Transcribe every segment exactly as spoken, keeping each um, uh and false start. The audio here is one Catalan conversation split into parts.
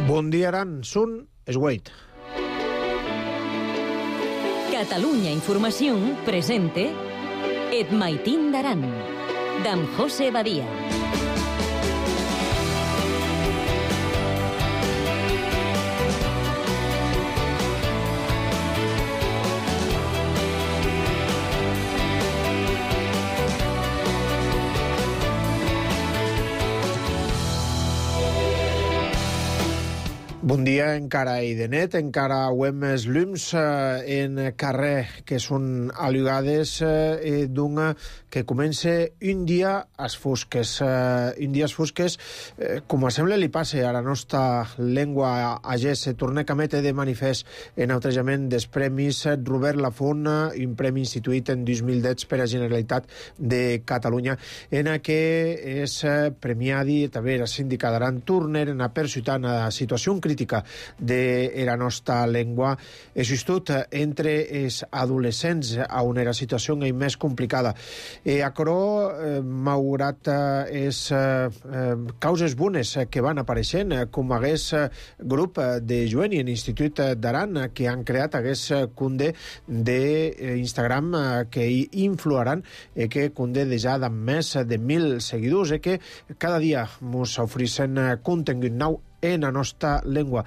Bon dia, Aran. Sun es Wait. Catalunya Informació presente Et Maitín d'Aran, d'en José Badia. Bon dia, encara i de net, encara hem els llums eh, en carrer que són alugades eh, d'un que comença un dia als fosques. Eh, un dia als fosques, eh, com a sembla li passe a la nostra llengua agès, se torna a mete de manifest en outrejament dels premis Robert Lafont, un premi instituït en dos mil deu per a Generalitat de Catalunya, en què és premiadi també la síndica d'Aran Turner en a persutar una situació crítica de la nostra llengua, justut entre els adolescents on la situació és més complicada. E aquerò, eh, malgrat les eh, causes bones que van apareixent, com hagués grup de joven i en Institut d'Aran que han creat hagués cunde d'Instagram que influaran e que cunde de ja de més de mil seguidors e que cada dia ens ofereixen contingut nou en la nostra llengua.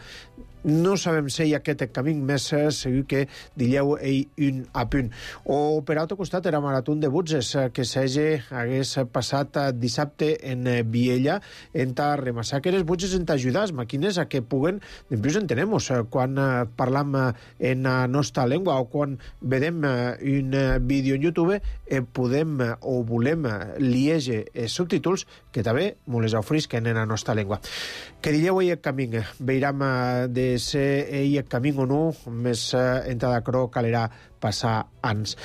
No sabem si hi ha aquest camí més segur que dilleu ell un a punt. O per altre costat era marató de butzes que s'hagi hagués passat dissabte en Viella en ta remassar que les butzes en t'ajudar les màquines a que puguen, després entenem quan parlam en la nostra llengua o quan vedem un vídeo en YouTube eh, podem o volem lieger els subtítols que també ens les ofrisquen en la nostra llengua. Que dilleu ell el camí, veiram de ser ell el camí o no, més eh, entrada crò calera passar anys.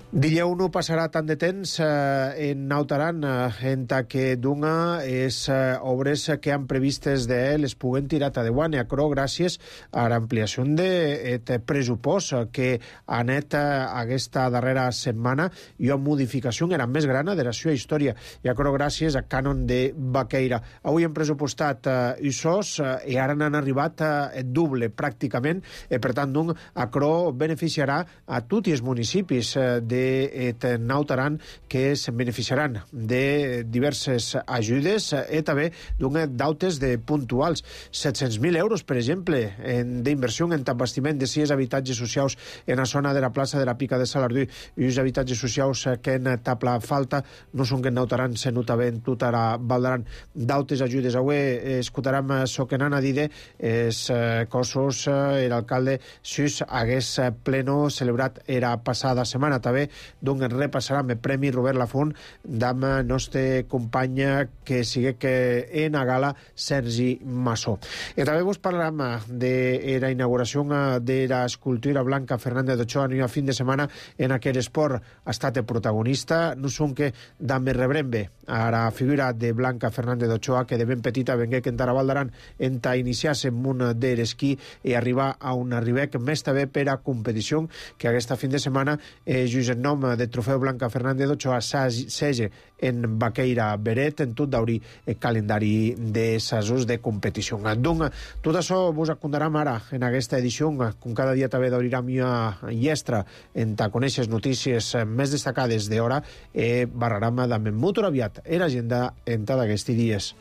Dilleu no passarà tant de temps eh, en Nautaran eh, en ta que d'una és eh, obres que han previstes de les puguen tirar a deuant i acrò gràcies a l'ampliació d'aquest pressupost que ha anat eh, aquesta darrera setmana i una modificació era més gran de la seva història i acrò gràcies a Cànon de Baqueira. Avui hem pressupostat eh, usos eh, i ara n'han arribat eh, doble pràcticament i per tant d'un acrò beneficiarà a tots els municipis eh, de de Nautaran que se'n beneficiaran de diverses ajudes i també d'un dautes de puntuals. set-cents mil euros, per exemple, d'inversió en bastiment de sis habitatges socials en la zona de la plaça de la Pica de Salardú i uns habitatges socials que en tapla falta no són que en Nautaran se nota bé en tota la Valdaran. Dautes ajudes. Avui escoltarem so que n'han a dir els cossos l'alcalde Sus hagués pleno celebrat era passada setmana també donc repassarem el Premi Robert Lafont d'am nostre company que sigue que en a gala Sergi Massó. I també vos parlarem de la inauguració de l'escultura Blanca Fernández d'Ochoa en un fin de setmana en aquell esport ha estat el protagonista, no són que d'am rebrembe a la figura de Blanca Fernández d'Ochoa que de ben petita vengué que en Taravaldaran en ta iniciar-se en un de l'esquí i arribar a un arribec més també per a competició que aquesta fin de setmana eh, just en nom de trofeu Blanca Fernández d'Ochoa s'hagi en Baqueira Beret en tot d'obrir el calendari de sasos de competició. Donc, tot això vos acondarem ara en aquesta edició, com cada dia també d'obrirem una llestra en ta conèixer notícies més destacades d'hora i barrarem també molt aviat en l'agenda en ta d'aquests dies.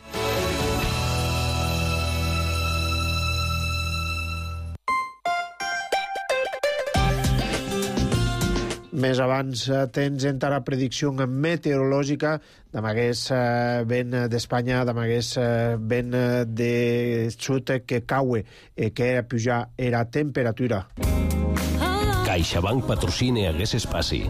Més abans tens entra la predicció meteorològica d'amagués eh, vent d'Espanya, d'amagués eh, vent de sud que caue i que puja era temperatura. CaixaBank patrocina Hagués Espaci.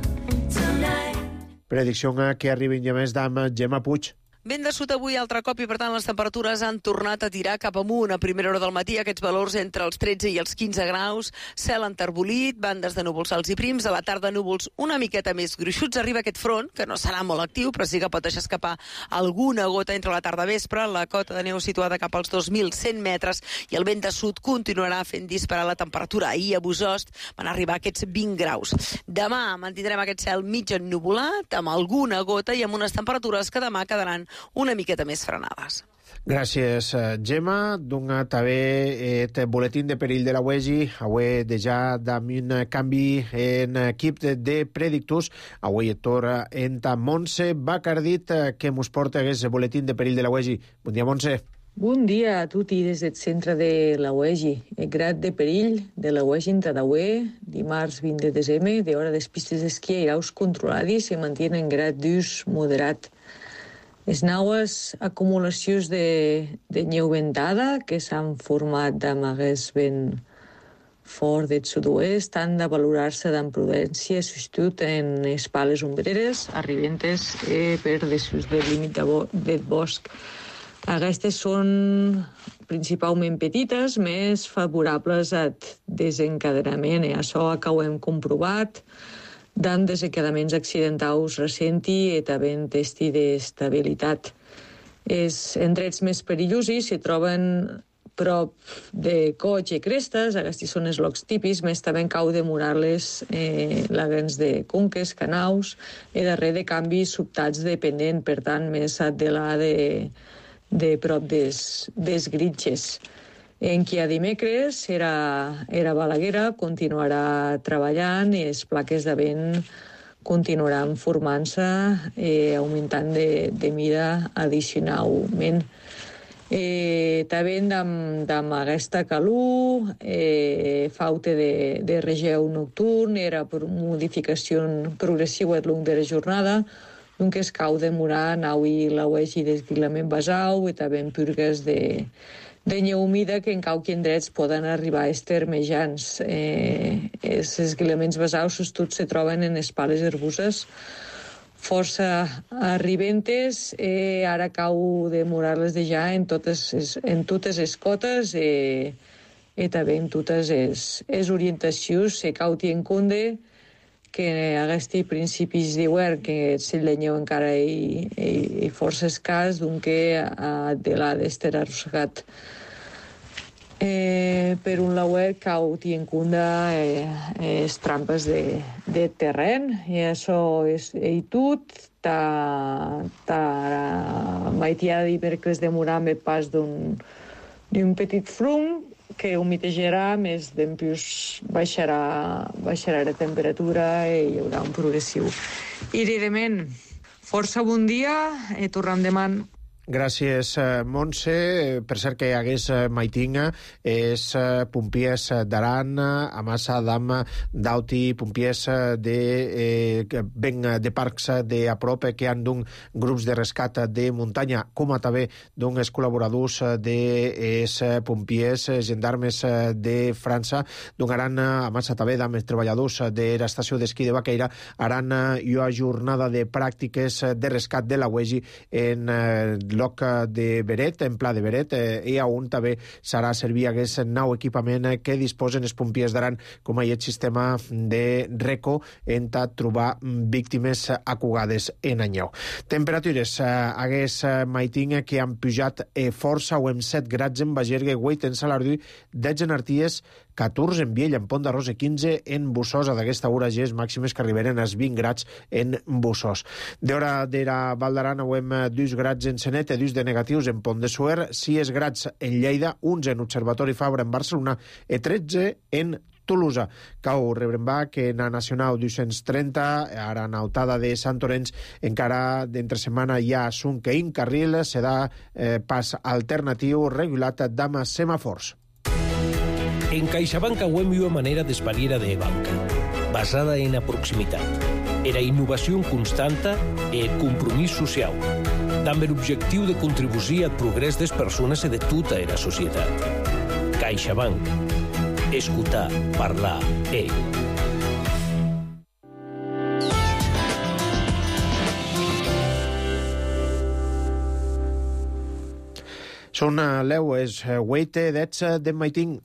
Predicció que arriben ja més d'am Gemma Puig. Vent de sud avui altre cop i, per tant, les temperatures han tornat a tirar cap amunt. A primera hora del matí, aquests valors entre els tretze i els quinze graus, cel enterbolit, bandes de núvols alts i prims, a la tarda núvols una miqueta més gruixuts. Arriba aquest front, que no serà molt actiu, però sí que pot deixar escapar alguna gota entre la tarda vespre, la cota de neu situada cap als dos mil cent metres, i el vent de sud continuarà fent disparar la temperatura. Ahir a Bosost van arribar aquests vint graus. Demà mantindrem aquest cel mig ennuvolat, amb alguna gota i amb unes temperatures que demà quedaran una miqueta més frenades. Gràcies, Gemma. Donga també el boletín de perill de la U E G I. Avui deja amb un canvi en equip de predictors. Avui et torna enta Montse Bacardit, que mos porta aquest boletín de perill de la U E G I. Bon dia, Montse. Bon dia a tutti des del centre de la U E G I. El grad de perill de la U E G I en Tadaué, dimarts vint de desembre, de hora des pistes d'esquí a iraus controlades, se mantiene en grad d'ús moderat. Les naues acumulacions de, de neu ventada que s'han format amb aquest vent fort del sud-oest han de valorar-se amb prudència, substitut en les pales ombreres, arribentes eh, per desús del límit de bo, del bosc. Aquestes són principalment petites, més favorables al desencadenament, i això que ho hem comprovat, dan desencadenaments accidentals recents i també en testi d'estabilitat. Els indrets més perillosos se troben prop de coig i crestes, aquests són els llocs típics, més també cau demorar-les eh, lagans de conques, canaus, i darrere de canvis sobtats dependent, per tant, més de la de, de prop des, des gritxes. En qui a dimecres era, era Balaguera, continuarà treballant i les plaques de vent continuaran formant-se, eh, augmentant de, de mida addicionalment. Eh, també amb, amb aquesta calor, eh, falta de, de regeu nocturn, era per modificació progressiva al llarg de la jornada, doncs es cau demorar nau-hi la U E G I d'esguilament basau i també en purgues de de neu humida que en qualque indrets poden arribar a estar mejans. Eh, els esguilaments basaus tots se troben en les pales herboses força arribentes, eh, ara cau demorar-les de ja en totes, en totes les cotes eh, i també en totes les, les orientacions. Se cau en compte que aquests principis d'hivern, que el cell de neu encara hi, hi, hi força escàs, doncs que de l'ha d'estar arrossegat. Eh, per un lauet cau en compte eh, les trampes de, de terreny, i això és i tot. Ta, ta maitiada dimecres demorar amb el pas d'un petit frum, que humitejarà, més d'empús baixarà, baixarà la temperatura i hi haurà un progressiu. I evidentment, força bon dia i tornem demà. Gràcies, Montse. Per cert que hi hagués maitinga és pompiers d'Aran, a massa d'am d'auti, pompiers de eh, ben de parcs de a prop que han d'un grups de rescat de muntanya, com a també d'un els col·laboradors de es pompiers gendarmes de França, d'un aran a massa també d'am els treballadors de l'estació d'esquí de Baqueira, aran una jornada de pràctiques de rescat de la U E G I en eh, lloc de Beret, en pla de Beret, eh, i on també serà servir aquest nou equipament que disposen els pompiers d'Aran, com aquest sistema de RECO, en trobar víctimes acugades en anyeu. Temperatures, eh, hagués maiting que han pujat eh, força o amb set grads en Bagergue, vuit en Salardú, dotze en Arties, catorze en Viella, en Pont d'Arròs i quinze en Bussosa. D'aquesta hora ja és màximes que arribaren als vint grads en Bussós. D'hora de la Val d'Aran hem dos grads en Senet, dos de negatius en Pont de Suert, sis grads en Lleida, onze en Observatori Fabra en Barcelona i tretze en Tolosa. Cau Rebrembà, que en la Nacional dos-cents trenta, ara en Autada de Sant Llorenç, encara d'entre setmana hi ha un que in carril, serà eh, pas alternatiu regulat d'ama semàfors. En CaixaBank hem una manera d'espariera de banca, basada en la proximitat, era innovació constanta i el compromís social, amb l'objectiu de contribuir al progrés de les persones i de tota la societat. CaixaBank. Escoltar, parlar, e. Són leues, hueite d'ets de maiting.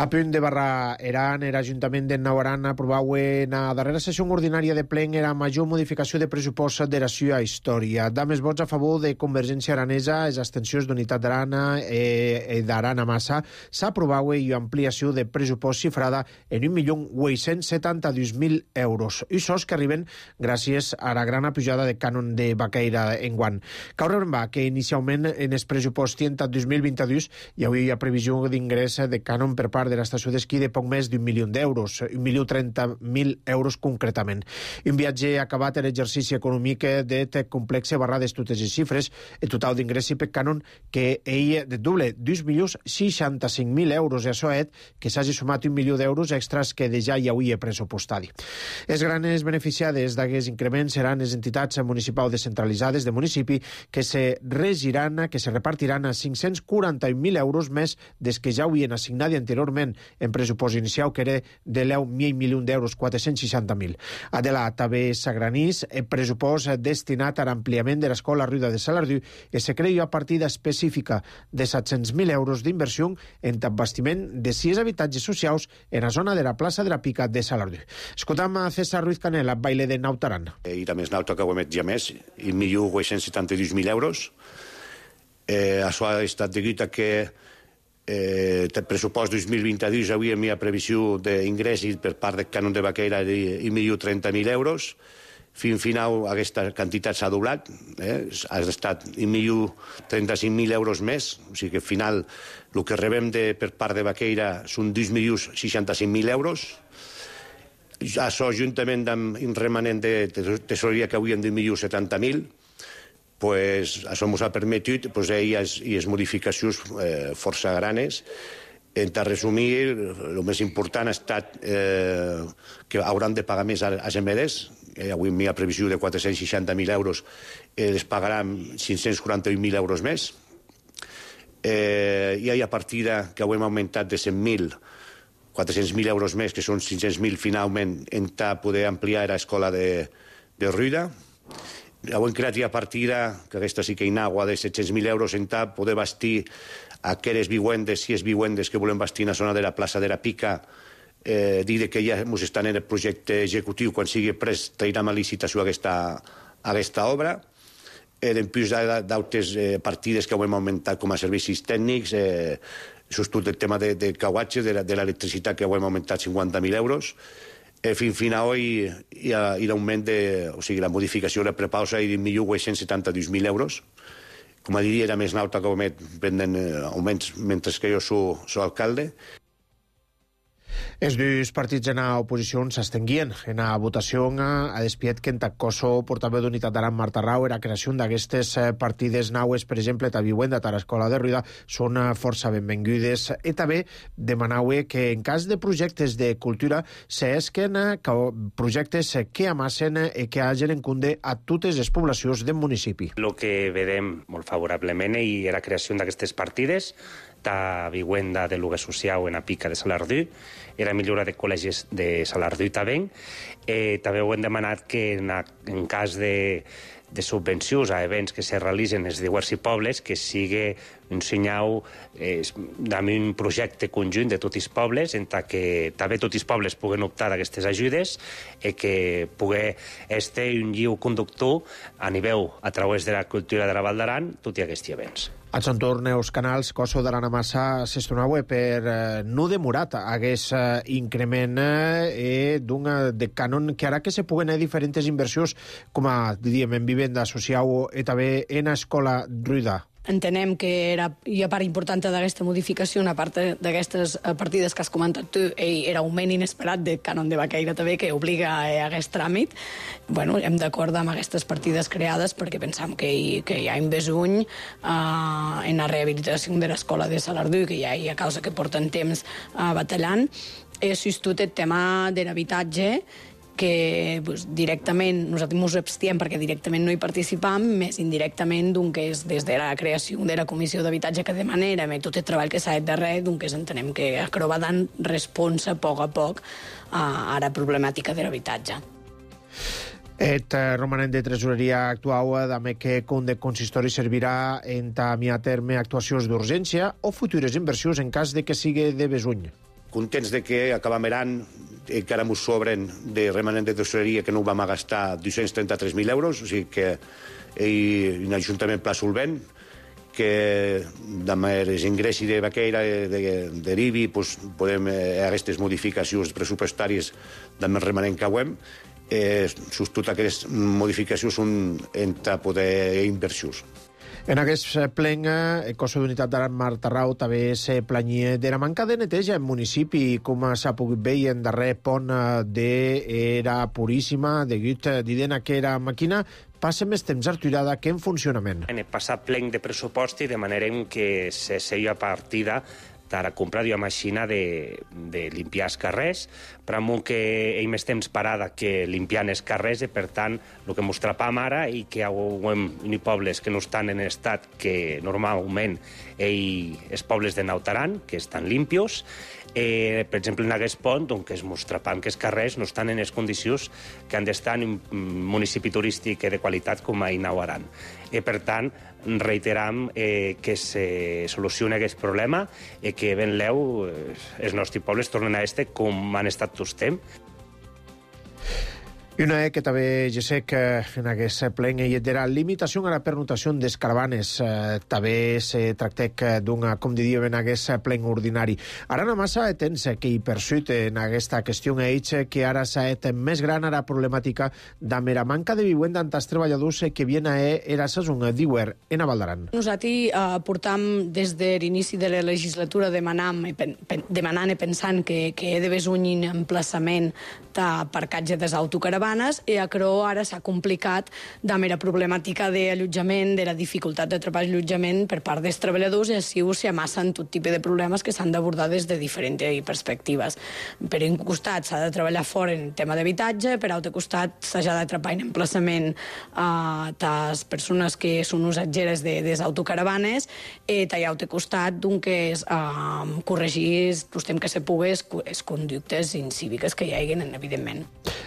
A punt de barrar Eran, era Ajuntament de Nauaran aprovau en la darrera sessió ordinària de plen era major modificació de pressupost de la seva història. Dames vots a favor de Convergència Aranesa, les abstencions d'Unitat d'Arana i d'Arana Massa, s'aprovau i ampliació de pressupost xifrada en un milió vuit-cents setanta-dos mil euros. I sos que arriben gràcies a la gran pujada de cànon de Baqueira enguant. Cal remarcar que inicialment en el pressupost dos mil vint-i-dos hi havia previsió d'ingrés de cànon per part de l'estació d'esquí de poc més d'un milió d'euros, un milió trenta mil euros concretament. Un viatge acabat en l'exercici econòmic de complexe barrades totes les xifres, el total d'ingressi per cànon que ell de doble, dos milions seixanta-cinc mil euros, i això és que s'hagi sumat un milió d'euros extras que de ja hi hauria pressupostari. Les grans beneficiades d'aquest increment seran les entitats municipals descentralitzades de municipi que se regiran, que se repartiran a cinc-cents quaranta mil euros més des que ja havien assignat anteriorment en pressupost inicial, que era de deu mil milions d'euros, quatre-cents seixanta mil. Adela també s'agranís el pressupost destinat a l'ampliament de l'escola Ruïda de Salardú i se creia partida específica de set-cents mil euros d'inversió en bastiment de sis habitatges socials en la zona de la plaça de la Pica de Salardú. Escoltam a César Ruiz Canela, baile de Nautaran. I la més nauta que ho emet ja més, un milió vuit-cents setanta-dos mil euros. Eh, això ha estat degut a que Eh, el pressupost dos mil vint-i-dos havia una previsió d'ingressos per part del cànon de Baqueira de un milió trenta mil euros. Fins final aquesta quantitat s'ha doblat, eh? ha estat un milió trenta-cinc mil euros més, o sigui que al final el que rebem de, per part de Baqueira són dos milions seixanta-cinc mil euros. Això, juntament amb un remanent de tesoreria que avui hem d'un milió setanta mil, pues, això ens ha permetit pues, i les modificacions eh, força granes. En resumir, el més important ha estat eh, que hauran de pagar més a les emedes. Eh, avui hi ha previsió de quatre-cents seixanta mil euros, eh, les pagaran cinc-cents quaranta-un mil euros més. Eh, I hi ha partida que ho hem augmentat de cent mil, quatre-cents mil euros més, que són cinc-cents mil finalment, en poder ampliar l'escola de, de Ruïda. Hem creat ja partida, que aquesta sí que hi agua de set-cents mil euros en tap, poder bastir aquelles vivendes, si és vivendes que volem bastir en la zona de la plaça de la Pica, eh, dir que ja ens estan en el projecte executiu, quan sigui pres trairem a licitació aquesta, aquesta obra. Eh, en plus d'altres eh, partides que ho hem augmentat com a servicis tècnics, eh, sobretot el tema de, de cauatge, de l'electricitat, que ho hem augmentat cinquanta mil euros. Eh, fins final hi ha, hi ha l'augment de... O sigui, la modificació de la prepausa i d'un milió vuit-cents setanta-dos mil euros. Com a diria, era més nauta que prenen augments mentre que jo soc, soc alcalde. Els dos partits en l'oposició s'estenguien en la votació a despiet que en Taccoso, portaveu d'Unitat d'Aran, Marta Rau, la creació d'aquestes partides naues, per exemple, a Viuenda, a l'escola de Ruïda, són força benvingudes. I també demanau que en cas de projectes de cultura s'esquen projectes que amassen i que hagin en compte a totes les poblacions del municipi. El que vedem molt favorablement i la creació d'aquestes partides de vivienda de lloguer social en la Pica de Salardú, era millora de col·legis de Salardú també. Eh, també ho hem demanat que en, a, en cas de, de subvencions a events que se realitzen en els diversos pobles, que sigui un senyal eh, d'un projecte conjunt de tots els pobles, en què també tots els pobles puguen optar a aquestes ajudes i que pugui estar un lliu conductor a nivell a través de la cultura de la Val d'Aran tots aquests events. A Sant Torne, els canals Coso d'Arana Massa s'estonau per eh, no demorat hagués eh, increment eh, d'un de cànon que ara que se puguen haver diferents inversions com a, diríem, en vivenda social i també en escola Ruïda. Entenem que era, hi ha part important d'aquesta modificació, una part d'aquestes partides que has comentat tu, era augment inesperat de cànon de Baqueira també, que obliga a aquest tràmit. Bueno, hem d'acord amb aquestes partides creades perquè pensam que hi, que hi ha un besuny uh, en la rehabilitació de l'escola de Salardú, que ja hi ha causa que porten temps uh, batallant. He assistit el tema de l'habitatge, que pues, directament nosaltres ens abstiem perquè directament no hi participam, més indirectament que és des de la creació de la Comissió d'Habitatge que demanérem i tot el treball que s'ha fet darrere, doncs entenem que acaba dant responsa a poc a poc a la problemàtica de l'habitatge. Et romanent de tresoreria actual també que com de consistori servirà en tamir a terme actuacions d'urgència o futures inversions en cas de que sigui de besuny. contents de que acabam l'any, encara ens sobren de remanent de tesoreria que no ho vam gastar dos-cents trenta-tres mil euros, o sigui que hi ha un ajuntament pla solvent, que amb els ingressos de Baqueira derivi, doncs, podem eh, aquestes modificacions pressupostàries amb el remanent que hem, eh, totes aquestes modificacions són entre poder inversions. En aquest plen, el cos d'unitat d'Aran Martarrau també se planyia de la manca de neteja en municipi, com s'ha pogut veure en darrer pont d'Era Puríssima, degut d'idena que era màquina, passa més temps arturada que en funcionament. En el passat plen de pressupost, de manera que se seia partida per a comprar una màquina de, de limpiar els carrers, però amb que hi més temps parada que limpiant els carrers, i per tant, el que ens trapam ara, i que hi ha pobles que no estan en estat que normalment hi, els pobles de Nautaran, que estan limpios, eh, per exemple, en aquest pont, on que es mostrapam que els carrers no estan en les condicions que han d'estar en un municipi turístic de qualitat com a Nautaran. I per tant, reiteram eh, que se solucioni aquest problema i que ben leu eh, els nostres pobles tornen a este com han estat tots temps. I una que també jo sé que en aquest plen hi era limitació a la pernotació des caravanes. Eh, també se tracta d'una, com diríem, en aquest plen ordinari. Ara no massa temps que hi persut en aquesta qüestió ells, que ara s'ha fet més gran a la problemàtica de la manca de vivenda amb els treballadors que vienen a era saison d'Iwer en Avaldaran. Nosaltres eh, portam des de l'inici de la legislatura demanant, demanant i pensant que, que he d'haver un emplaçament d'aparcatge des autocaravanes, i a Creu ara s'ha complicat de mera problemàtica d'allotjament, de la dificultat de trobar allotjament per part dels treballadors, i així s'hi amassen tot tipus de problemes que s'han d'abordar des de diferents perspectives. Per un costat s'ha de treballar fort en tema d'habitatge, per altre costat s'ha de trepar en emplaçament a les persones que són usatgeres de les autocaravanes, i a l'altre costat que és corregir el temps que se pugui les conductes incíviques que hi hagin, evidentment.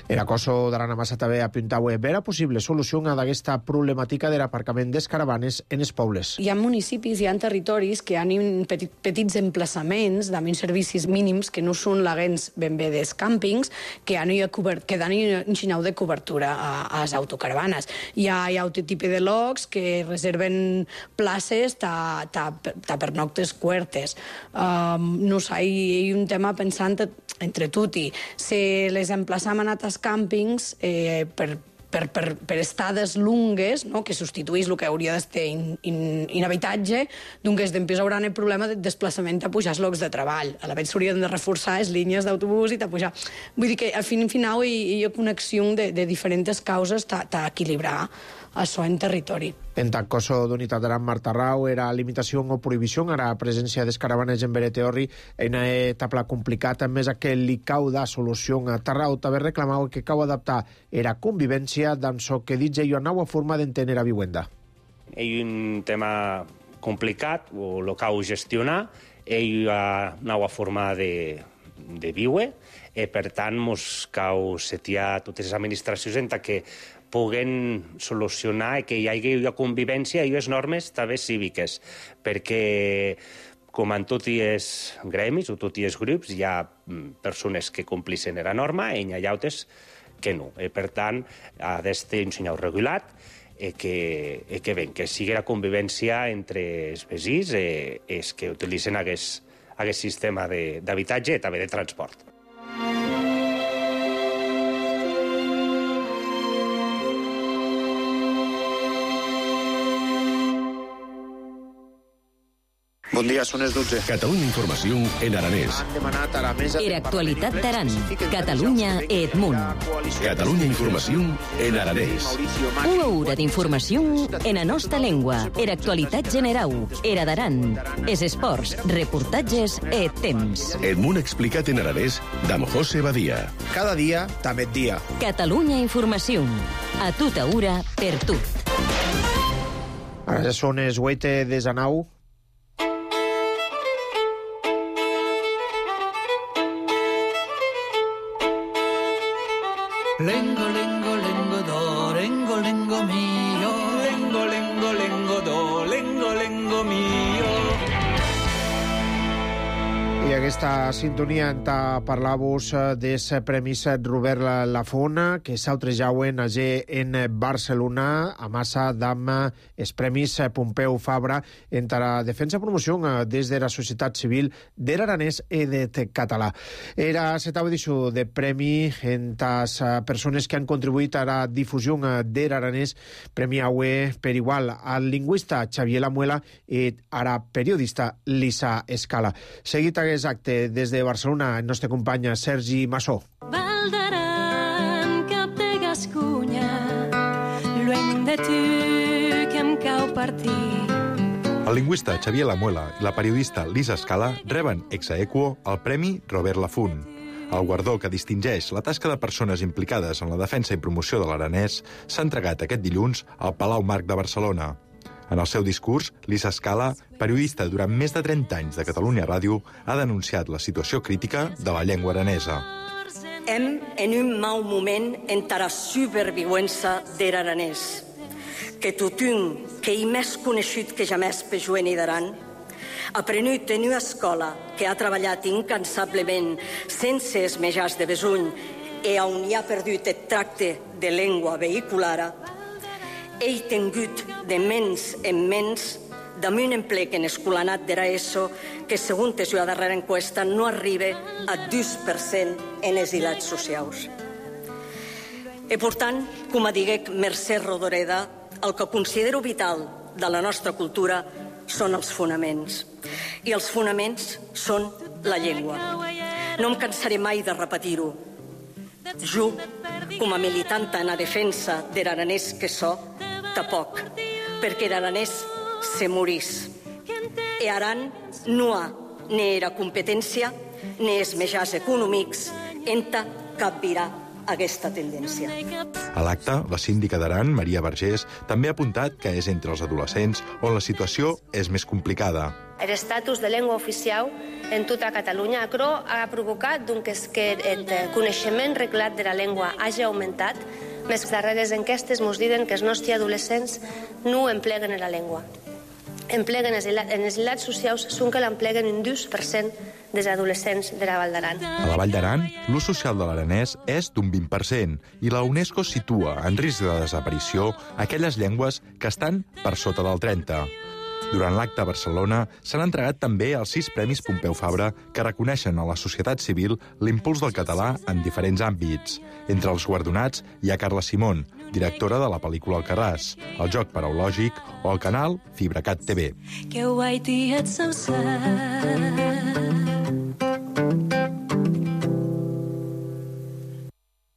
Era cosa d'Aran Massa també apuntava a veure possible solució a aquesta problemàtica de l'aparcament des caravanes en els pobles. Hi ha municipis, hi ha territoris que han petit, petits emplaçaments amb servicis mínims que no són laguens ben bé dels càmpings, que han cobert, que dan un xinau de cobertura a, a les autocaravanes. Hi ha, hi ha altre tipus de locs que reserven places ta, ta, ta per noctes cuertes. Um, no sé, hi ha un tema pensant entre tutti. Si les emplaçam a altres càmpings eh, per, per, per, per estades lungues, no?, que substituís el que hauria d'estar in, in, inhabitatge, doncs després hauran el problema de desplaçament a pujar els llocs de treball. A la vegada s'haurien de reforçar les línies d'autobús i a pujar. Vull dir que al fin i final hi, hi ha connexió de, de diferents causes a equilibrar això en territori. En tant cosa d'unitat d'Aran Martarrau era limitació o prohibició a la presència dels caravanes en Bereteorri en una etapa complicada, més a que li cau da solució a Tarrau també reclamava que cau adaptar era convivència d'en so que ditge i una nova forma d'entendre la vivienda. Hi ha un tema complicat, o el cau gestionar, hi ha una nova forma de, de viure, i per tant mos cau setiar totes les administracions en que puguen solucionar i que hi hagi una convivència i unes normes també cíviques, perquè com en tots els gremis o tots els grups hi ha persones que complixen la norma i hi ha altres que no. I, per tant, ha d'estar un senyal regulat i que, i que, ben, que sigui la convivència entre els veïns i els que utilitzen aquest, aquest sistema d'habitatge i també de transport. Bon dia, són les dotze. Catalunya Informació en aranès. Era actualitat d'Aran. Catalunya Edmunt. Catalunya Informació en aranès. Una hora d'informació en la nostra llengua. Era actualitat general. Era d'Aran. Es esports, reportatges e temps. Edmunt explicat en aranès d'Am José Badia. Cada dia, també dia. Catalunya Informació. A tota hora, per tot. Ara ja són les vuit de Zanau. Lengo, lengo, lengo, do, lengo, lengo mio. Lengo, lengo, lengo, do, lengo, lengo mio. I aquesta sintonia enta parlar-vos des Premis Robert Lafont, que s'autrejauen age en Barcelona, a massa d'am els Premis Pompeu Fabra entre la defensa i promoció des de la societat civil de l'aranès i de català. Era la setava edició de premi entre les persones que han contribuït a la difusió de l'aranès, premi aue per igual al lingüista Xavier Lamuela i a la periodista Lisa Escala. Seguit aquest acte des de Barcelona, el nostre company Sergi Massó. Val d'Aran, cap de Gascunya, lluny de tu que em cau partir. El lingüista Xavier Lamuela i la periodista Lisa Escala reben ex aequo el Premi Robert Lafont. El guardó que distingeix la tasca de persones implicades en la defensa i promoció de l'aranès s'ha entregat aquest dilluns al Palau Marc de Barcelona. En el seu discurs, Lisa Escala, periodista durant més de trenta anys de Catalunya Ràdio, ha denunciat la situació crítica de la llengua aranesa. Hem en un mau moment entara superviuença der aranès, que tothom que hi més coneixut que jamès per Joeni d'Aran, aprenut en una escola que ha treballat incansablement sense esmejars de besuny i on hi ha perdut el tracte de llengua vehiculara, he tingut de menys en menys damunt en plec en escolanat d'era ESO que, segons la seva darrera enquesta, no arriba a dos per cent en els ilats socials. I, per tant, com diguec Mercè Rodoreda, el que considero vital de la nostra cultura són els fonaments. I els fonaments són la llengua. No em cansaré mai de repetir-ho. Jo, com a militant en la defensa de l'aranès que so, tampoc, perquè l'aranès se morís. E Aran no ha ni era competència ni els mitjans econòmics enta capgirar aquesta tendència. A l'acte, la síndica d'Aran, Maria Vergés, també ha apuntat que és entre els adolescents on la situació és més complicada. L'estatus de llengua oficial en tota Catalunya acro ha provocat doncs, que el coneixement reglat de la llengua hagi augmentat. Les darreres enquestes ens diuen que els nostres adolescents no empleguen la llengua. Empleguen en els ilats socials són que l'empleguen un dos per cent dels adolescents de la Vall d'Aran. A la Vall d'Aran, l'ús social de l'aranès és d'un vint per cent i la UNESCO situa en risc de desaparició aquelles llengües que estan per sota del trenta. Durant l'acte a Barcelona s'han entregat també els sis Premis Pompeu Fabra que reconeixen a la societat civil l'impuls del català en diferents àmbits. Entre els guardonats hi ha Carla Simón, directora de la pel·lícula Alcarràs, el joc paraulògic o el canal FibraCat T V. Que guai tiet sencer.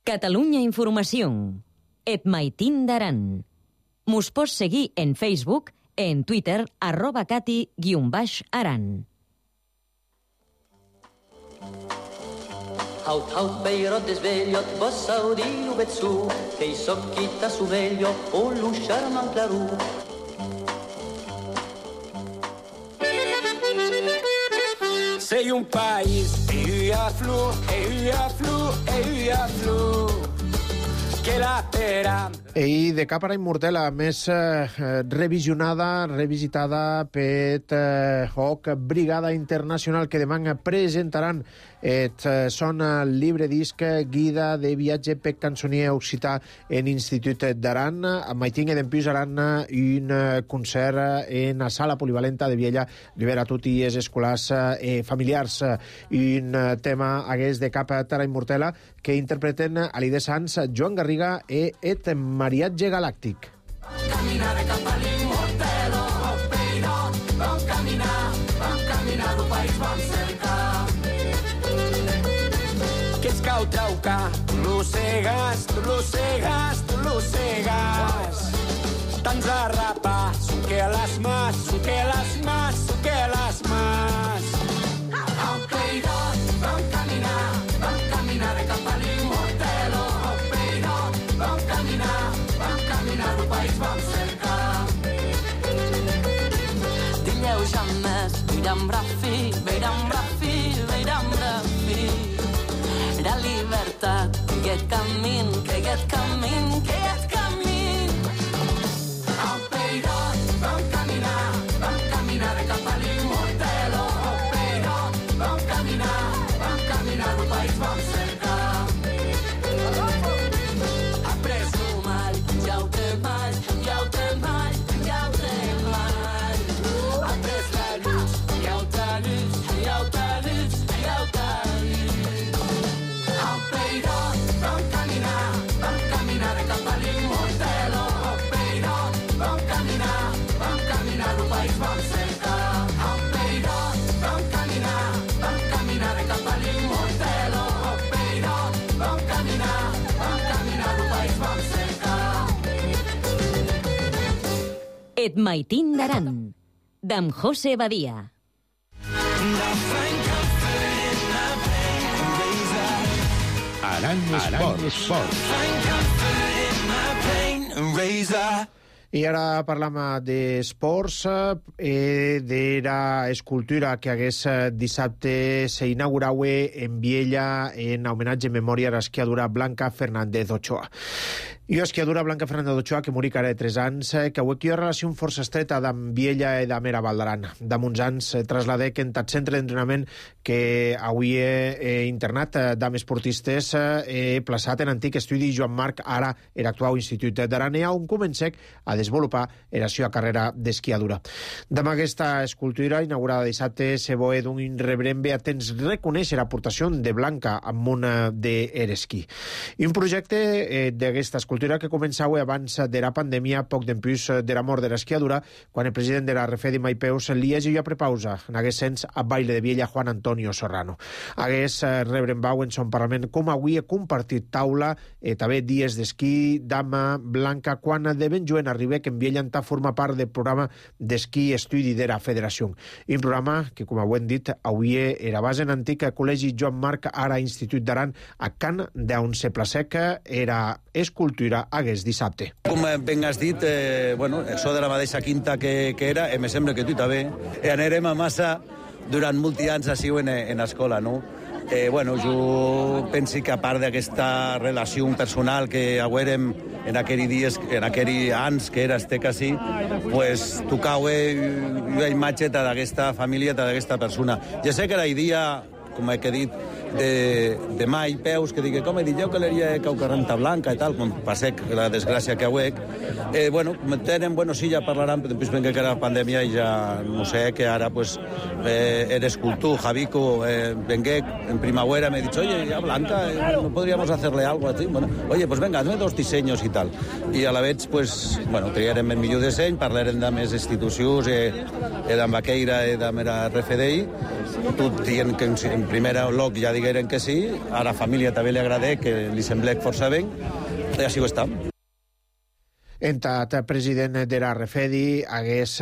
Catalunya Informació. Et maitín d'Aran. Mos pots seguir en Facebook, en Twitter, arroba cati guion baix aran. Haut, haut, beirot desvegliot, vos saudino betsu, che i socchita su veglio, o l'usciar man claru. Sei un país, e a flu, e a flu, e a flu, que la pera... I de Càpara Immortela, més eh, revisionada, revisitada per eh, O C Brigada Internacional, que demà presentaran et eh, son llibre disc guida de viatge per cançonier occità en Institut d'Aran. Mai tingué d'empús aran un concert en la sala polivalenta de Viella d'Ibera a tutti els escolars eh, familiars. Un tema hagués de Càpara Immortela que interpreten Alida Sanz, Joan Garriga i et Mariatge Galàctic. Caminare cap a l'immortelo, oh peirot, vam caminar, vam caminar, el país vam cercar. Que ets cau traucar, tu l'ossegues, tu l'ossegues, tu l'ossegues. Tants a rapar, su que les mas, su que les mas, su que les mas. Oh peirot, vam caminar, vam caminar cap a l'immortelo, oh peirot, vam caminar, vam caminar, el país vam cercar. Dilleu jamais, veiram brafi, veiram brafi, veiram brafi. La llibertat, que aquest camí, que aquest camí, que aquest camí. Oh, Et maitin d'aran, d'en José Badia. Aran Esports. I ara parlam d'esports, eh, d'era escultura que hagués dissabte s'inauguraue en Viella en homenatge en memòria a l'esquiadora Blanca Fernández Ochoa. I l'esquiadora Blanca Fernández Ochoa, que morí cara de tres anys, que avui hi ha relació força estreta d'en Viella i d'Amera Valdaran. Damuns anys trasladec en tot centre d'entrenament que avui he internat d'am esportistes he plaçat en antic estudi Joan Marc, ara era actual Institut d'Aranea, on comencec a desenvolupar la seva carrera d'esquiadura. D'am aquesta escultura, inaugurada dissabte, se voe d'un irreverent a temps reconèixer l'aportació de Blanca al món de l'esquí. I un projecte eh, d'aquesta escultura que començava abans de la pandèmia, poc d'empús de la mort de l'esquiadura, quan el president de la Refedi Maipeus li hagi a prepausa, en hagués sens a baile de Viella Juan Antonio Serrano. Hagués rebren bau en son Parlament com avui he compartit taula eh, també dies d'esquí d'ama Blanca quan de ben joven arribé que en Viella entà forma part del programa d'esquí estudi de la Federació. Un programa que, com ho hem dit, avui era base en antic Col·legi Joan Marc, ara Institut d'Aran, a Can d'on se placec era escultura hagués dissabte. Com ben has dit, eh, bueno, això de la mateixa quinta que, que era, eh, me sembla que tu també, eh, anirem a massa durant molts anys així en, en escola, no? Eh, bueno, jo penso que a part d'aquesta relació personal que haguérem en aquells dies, en aquells anys que era este quasi, pues tocava una imatge d'aquesta família, d'aquesta persona. Ja sé que era el dia, com he dit, de, de mai peus, que digui, com he dit, jo que l'heria Caucarrenta Blanca i tal, com passec la desgràcia que hauec. Eh, bueno, tenen, bueno, sí, ja parlaran, però després venga que era pandèmia i ja, no sé, que ara, pues, eh, eres cultú, Javico, eh, vengué en primavera, me he dit, oye, ya Blanca, eh, no podríamos hacerle algo así. Bueno, oye, pues venga, hazme dos diseños i tal. I a la vez, pues, bueno, triarem el millor disseny, parlarem de més institucions, eh, eh, d'en Baqueira, eh, d'en R F D I, tot dient que en primer lloc ja digueren que sí, a la família també li agradé, que li semblec força bé, i així ho està. Entat president de la Refedi hagués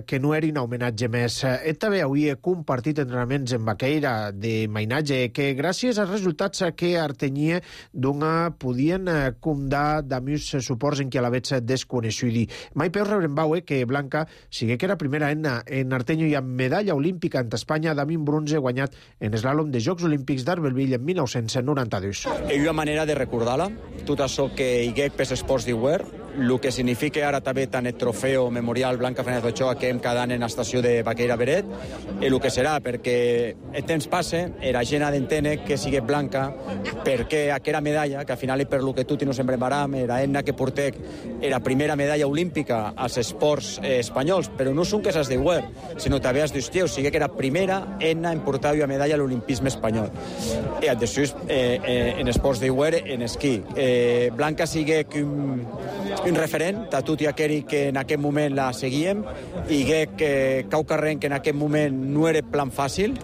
que no era un homenatge més. Ell també avui he compartit entrenaments en Baqueira de mainatge que gràcies als resultats que artenia d'una podien comptar d'amics suports en qui a la vez desconeixudi. Mai peus rebren baue que Blanca sigui que era primera en, en artenyo i amb medalla olímpica ante Espanya d'Amin bronze guanyat en eslàlom de Jocs Olímpics d'Arbelville en mil nou-cents noranta-dos. Hi ha una manera de recordar-la, tot això que hi ha pels esports d'Iguer, el que significa ara també tant el trofeu memorial Blanca Fernández Ochoa que hem cada any en l'estació de Baqueira Beret, i el que serà, perquè el temps passa, era gent d'entendre que sigui Blanca, perquè aquella medalla, que al final, per lo que tu no sempre baram, era ena que portec era primera medalla olímpica als esports eh, espanyols, però no són que s'has d'Iguer, sinó també has d'Ustieu, sigui que era primera ena en portar una medalla a l'olimpisme espanyol. I després, eh, eh, en esports d'Iguer, en esquí. Eh, Blanca sigui que un un referent a tot i aquell que en aquest moment la seguíem i que Caucarrenc que en aquest moment no era plan fàcil.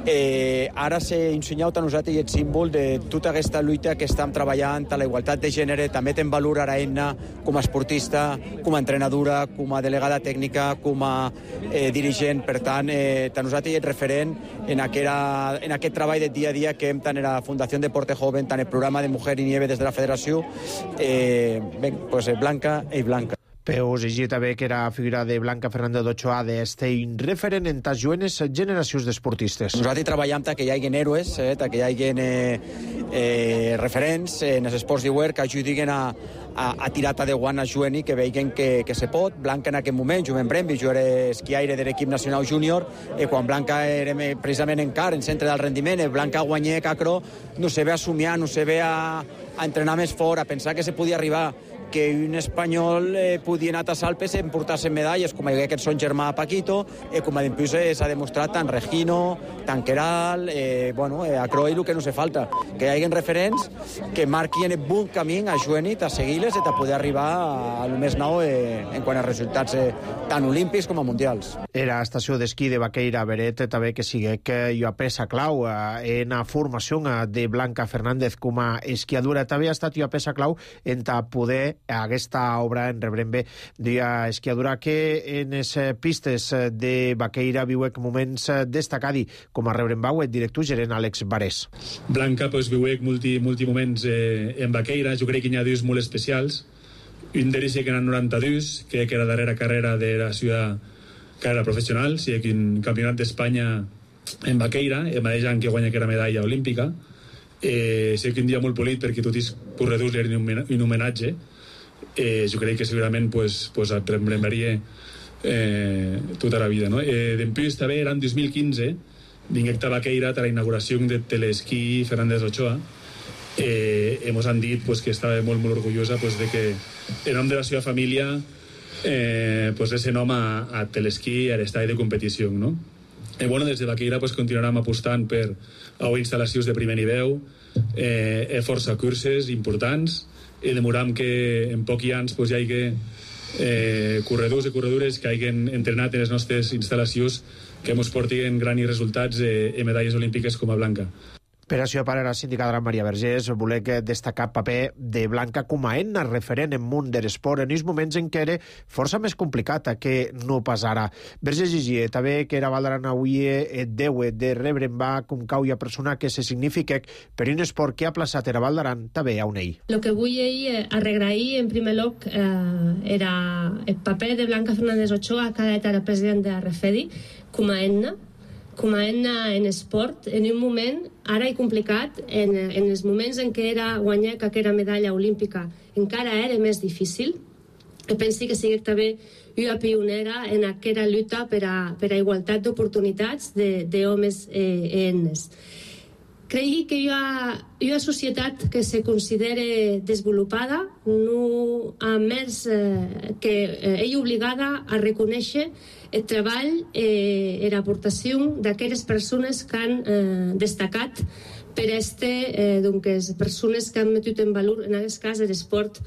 Eh, ara s'ha ensenyat a nosaltres el símbol de tota aquesta lluita que estem treballant a la igualtat de gènere, també ten valor ara Enna com a esportista, com a entrenadora, com a delegada tècnica, com a eh, dirigent. Per tant, eh, a nosaltres és referent en, aquera, en aquest treball de dia a dia que hem tant en la Fundació Deporte Joven, tant el programa de Mujer i Nieve des de la Federació. Eh, ben, pues, Blanca i Blanca. Peus i també que era figura de Blanca Fernández Ochoa d'Estein, referent en tas jovenes generacions d'esportistes. Nosaltres treballem que hi hagi héroes, eh, que hi hagi eh, eh, referents en els esports d'Iguer que ajudin a, a, a tirar de guant a jovent que vegin que, que se pot. Blanca en aquest moment, jo en Brembi, jo era esquiaire de l'equip nacional júnior, i quan Blanca era precisament encara en centre del rendiment, Blanca guanyé Cacro, no se ve a somiar, no se ve a, a entrenar més fort, a pensar que se podia arribar, que un espanyol eh, podia anar a Alpes i emportar-se medalles, com aquest son germà Paquito, eh, com a d'impuls s'ha demostrat tant Regino, tant Queral, eh, bueno, eh, a Croy el que no se falta, que hi haguin referents que marquin un bon camí a Joenit, a seguir-les i a poder arribar al més nou eh, en quant a resultats eh, tant olímpics com a mundials. Era estació d'esquí de Baqueira Beret també que sigue que jo a peça clau eh, en la formació de Blanca Fernández com a esquiadora. També ha estat jo a peça clau en ta poder aquesta obra en rebrem bé d'ia esquiadora que en les pistes de Baqueira viu moments destacadi com a rebrem bau el director gerent Àlex Barés. Blanca pues, viuec multi, multi moments eh, en Baqueira. Jo crec que hi ha dos molt especials. Un d'ells que era noranta-dos, que era la darrera carrera de la ciutat carrera professional, sí, que un campionat d'Espanya en Baqueira, el mateix any que guanya que era medalla olímpica. Eh, sé que un dia molt polit perquè tots els corredors li eren un homenatge. Eh, jo crec que segurament pues, pues et remembraria eh, tota la vida. No? Eh, Després també era en dos mil quinze, vinguec a Baqueira a la inauguració de Telesquí Fernández Ochoa. Eh, hemos han dit pues, que estava molt, molt orgullosa pues, de que en nom de la seva família eh, pues, ese nom a, a Telesquí a l'estadi de competició. No? Eh, bueno, des de Baqueira pues, continuarem apostant per a instal·lacions de primer nivell, eh, força curses importants, i demoram que en pocs anys pues, hi hagi eh, corredors i corredores que hagin entrenat en les nostres instal·lacions que ens portin grans resultats eh, en medalles olímpiques com a Blanca. Per això, per a la sindicadora Maria Vergés, volec destacar el paper de Blanca com a eina referent en món de l'esport en els moments en què era força més complicat que no pas ara. Vergés llegia també que era Valdaran avui et deu de rebre en va com cauia persona que se significa per un esport que ha plaçat era Valdaran també a un ell. Lo que vull eh, arregrair en primer lloc eh, era el paper de Blanca Fernández Ochoa, que era president de Refedi, com a eina, com a eina en esport, en un moment ara i complicat, en, en els moments en què era guanyar aquella medalla olímpica encara era més difícil. Jo penso que sigui també una pionera en aquella lluita per a, per a igualtat d'oportunitats d'homes eh, enes. Crec que hi ha una societat que se considera desenvolupada, no a més eh, que eh, és obligada a reconèixer el treball i eh, l'aportació d'aquelles persones que han eh, destacat per este, eh, doncs, persones que han metut en valor, en aquest cas, l'esport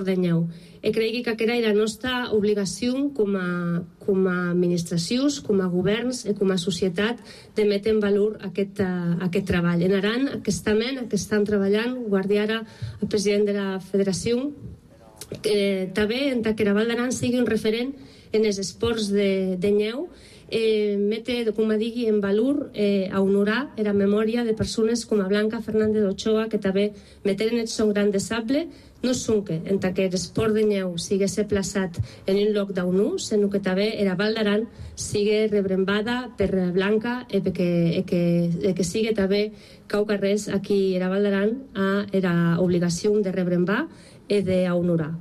de neu. I crec que aquesta era la nostra obligació com a, com a administracions, com a governs i com a societat de metre en valor aquest, uh, aquest treball. En Aran, aquestament, que estan treballant, guardi ara el president de la federació, eh, també en que la Val d'Aran sigui un referent en els esports de, de neu, eh, mete, com a digui, en valor eh, a honorar la memòria de persones com a Blanca Fernández Ochoa, que també meteren el son gran de sable, no són que, en que l'esport de neu sigui plaçat en un lloc d'onu, sinó que també la Val d'Aran sigui rebrembada per Blanca i que, que, que sigui també cau carrers aquí a la Val d'Aran a la obligació de rebrembar i d'honorar.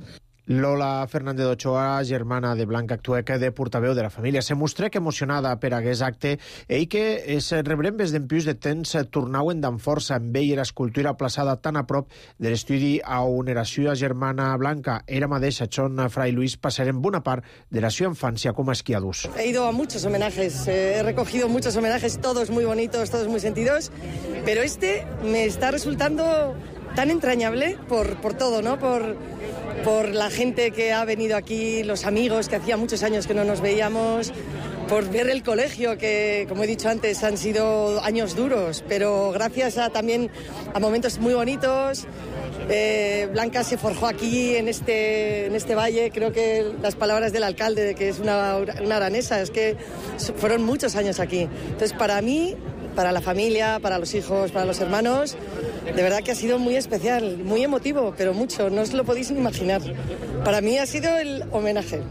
Lola Fernández Ochoa, germana de Blanca, actueca de portaveu de la família. Se mostrec emocionada per aquest acte i que es rebrembes d'empius de temps tornauen d'en força amb ell la escultura plaçada tan a prop de l'estudi a on era seva germana Blanca. Era mateixa Chon Fray Luis passaren bona part de la seva infància com a esquiadors. He ido a muchos homenajes, eh, he recogido muchos homenajes, todos muy bonitos, todos muy sentidos, pero este me está resultando tan entrañable por, por todo, ¿no? Por... por la gente que ha venido aquí, los amigos que hacía muchos años que no nos veíamos, por ver el colegio que, como he dicho antes, han sido años duros, pero gracias a, también a momentos muy bonitos. Eh, Blanca se forjó aquí en este, en este valle. Creo que las palabras del alcalde de que es una, una aranesa, es que fueron muchos años aquí. Entonces, para mí, para la familia, para los hijos, para los hermanos, de verdad que ha sido muy especial, muy emotivo, pero mucho, no os lo podéis ni imaginar. Para mí ha sido el homenaje,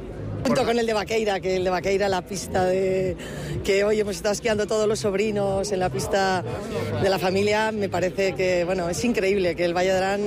junto con el de Baqueira, que el de Baqueira, la pista de que hoy hemos estado esquiando todos los sobrinos en la pista de la familia, me parece que, bueno, es increíble que el Valle de Arán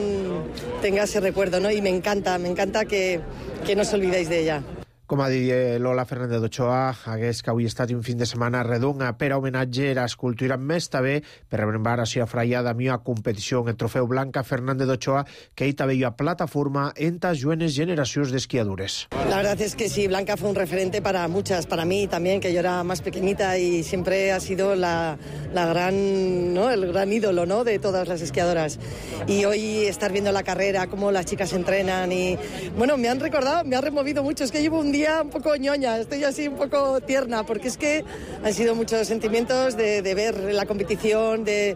tenga ese recuerdo, ¿no? Y me encanta, me encanta que, que no os olvidéis de ella. Com ha dit Lola Fernández d'Ochoa, hagués que avui ha estat un fin de setmana redonga per a homenatge a l'escultura més també per rebrembar a la fraia de mia competició en el trofeu Blanca Fernández d'Ochoa que hi també hi ha plataforma entre jovenes generacions d'esquiadores. La verdad es que sí, Blanca fue un referente para muchas, para mí también, que yo era más pequeñita y siempre ha sido la, la gran, ¿no? el gran ídolo, ¿no? de todas las esquiadoras. Y hoy estar viendo la carrera, cómo las chicas entrenan y, bueno, me han recordado, me ha removido mucho, es que llevo un día un poco ñoña, estoy así un poco tierna, porque es que han sido muchos sentimientos de, de ver la competición, de,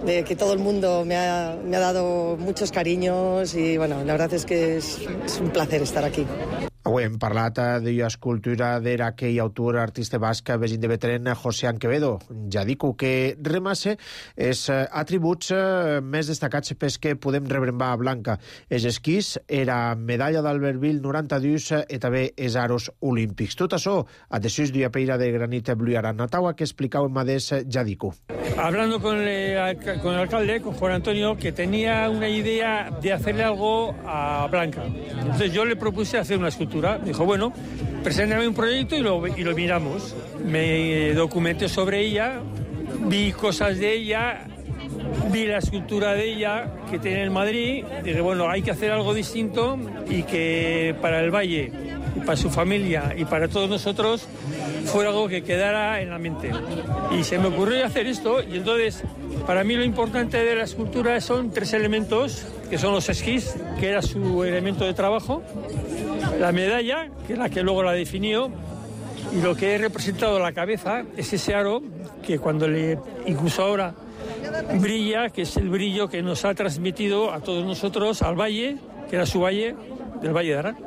de que todo el mundo me ha, me ha dado muchos cariños y bueno, la verdad es que es, es un placer estar aquí. Avui hem parlat de l'escultura d'aquell autor artista basc vegin de Betren, José Anquevedo. Ja dic que remasse els atributs més destacats pels que podem rebrembar a Blanca. Els esquís, era medalla d'Albertville noranta-dos i també els aros olímpics. Tot això a desús d'una peira de granit blu i aranataua que explicava en Madés Jadico. Hablando con el, con el alcalde, con Juan Antonio, que tenía una idea de hacerle algo a Blanca. Entonces yo le propuse hacer una escultura. Dijo, bueno, preséntame un proyecto y lo, y lo miramos. Me documenté sobre ella, vi cosas de ella, vi la escultura de ella que tiene en Madrid. Dije, bueno, hay que hacer algo distinto y que para el Valle, y para su familia y para todos nosotros fuera algo que quedara en la mente. Y se me ocurrió hacer esto y entonces para mí lo importante de la escultura son tres elementos, que son los esquís, que era su elemento de trabajo, la medalla, que es la que luego la definió, y lo que he representado la cabeza es ese aro que cuando le, incluso ahora, brilla, que es el brillo que nos ha transmitido a todos nosotros al valle, que era su valle, del Valle de Arán.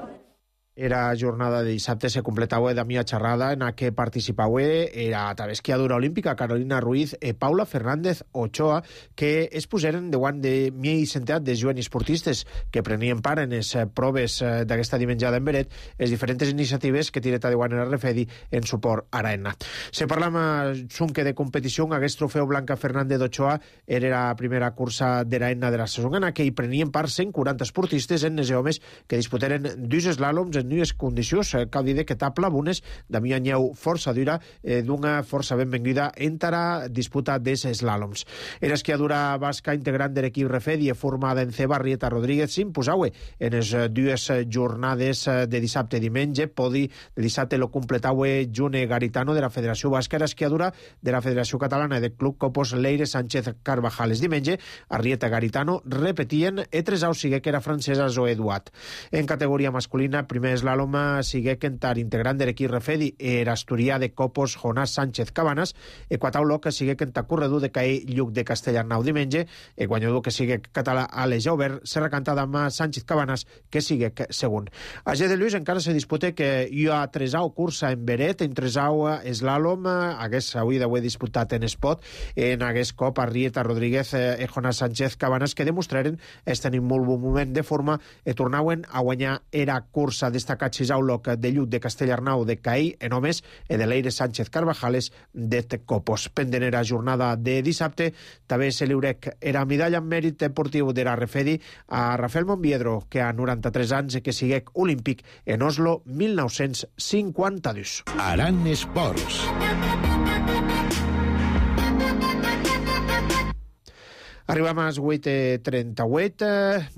Era jornada de dissabte, se completava de mia xerrada en què participava era també esquiadora olímpica Carolina Ruiz i Paula Fernández Ochoa, que es poseren davant de mia i centenar de joves esportistes que prenien part en les proves d'aquesta dimenjada en Beret, les diferents iniciatives que tireta de guant en el Refedi en suport a Araena. Se parla sunque de competició, aquest trofeu Blanca Fernández Ochoa era la primera cursa d'Araena de la saison en què hi prenien part cent quaranta esportistes en els homes que disputaren dos eslàloms en dues condicions, cal dir que etapa bunes de mi anyeu força dura eh, d'una força benvinguda entre disputa dels eslàloms. Era esquiadora basca integrant de l'equip Refedi formada en C. Barrieta Rodríguez s'imposaue en les dues jornades de dissabte i diumenge. Podi de dissabte lo completaue June Garitano de la Federació Basca, era esquiadora de la Federació Catalana de Club Copos Leire Sánchez Carvajal. Es diumenge Arrieta Garitano repetien e tres au sigue que era francesa Zoe Duat. En categoria masculina, primer eslàlom sigue Kentar, integrant de l'equip Refedi, era asturià de Copos Jonás Sánchez Cabanas, e quataulo que sigue Kentar corredor de Caí Lluc de Castellarnau diumenge, e guanyador que sigue català Àlex Jauber, serà cantada amb Sánchez Cabanas, que sigue segon. A G de Lluís encara se dispute que hi ha tresau cursa en Beret, en tresau eslàlom, hagués avui d'avui disputat en Espot, en hagués cop Arrieta Rodríguez i Jonás Sánchez Cabanas, que demostraren estar en molt bon moment de forma i tornauen a guanyar era cursa destacat Xisauloc de Lluc de Castellarnau de Caí en homes i de Leire Sánchez Carvajales de Copos. Pendent era jornada de dissabte, també se liurec era medalla en mèrit deportiu de la Refedi a Rafael Monviedro, que a noranta-tres anys que siguec olímpic en Oslo mil nou-cents cinquanta-dos. Aran Esports. Arribam a les vuit i trenta-vuit,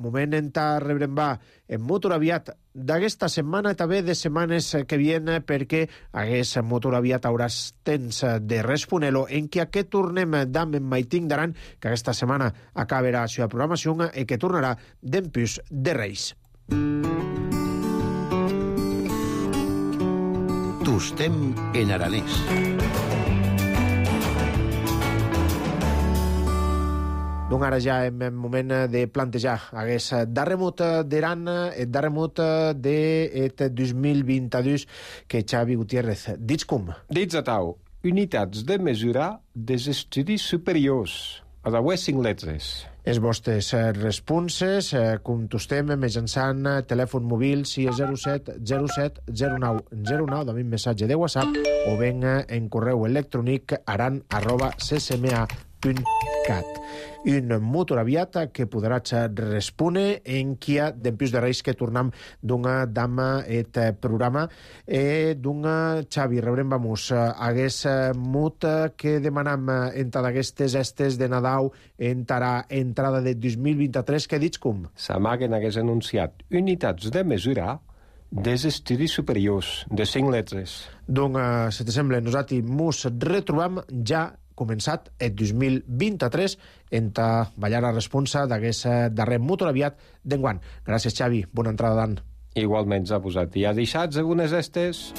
moment en ta rebrembar en motor aviat d'aquesta setmana i també de setmanes que viene, perquè hagués motor aviat hauràs temps de responelo en què aquest tornem d'am en Maiting d'Aran, que aquesta setmana acabarà la seva programació i que tornarà d'empús de Reis. Tostem en aranès. Donc ara ja en moment de plantejar hagués darremut d'Aran, el darremut de dos mil vint-i-dos que Xavi Gutiérrez. Dits com? Dits a tau, unitats de mesura dels estudis superiors, a la web cinc letres. Els vostres responses contestem mitjançant telèfon mòbil sis zero set zero set zero nou zero nou, també un missatge de WhatsApp, o ben en correu electrònic aran arroba c c m a punt cat. un motoraviat que podrà respondre en quia d'empius de reis que tornam d'una dama et programa e d'una Xavi, rebrem vamos hagués mut que demanam enta d'aquestes estes de Nadal entarà entrada de dos mil vint-i-tres, que dits com? S'amaguen hagués anunciat unitats de mesura des estudis superiors de cinc lletres. Doncs, si t'assembla, nosaltres mos retrobam ja començat el dos mil vint-i-tres en ballar la responsa d'aquest darrer motoraviat d'enguant. Gràcies, Xavi. Bona entrada d'any. Igualment s'ha posat. I ha deixat algunes estes...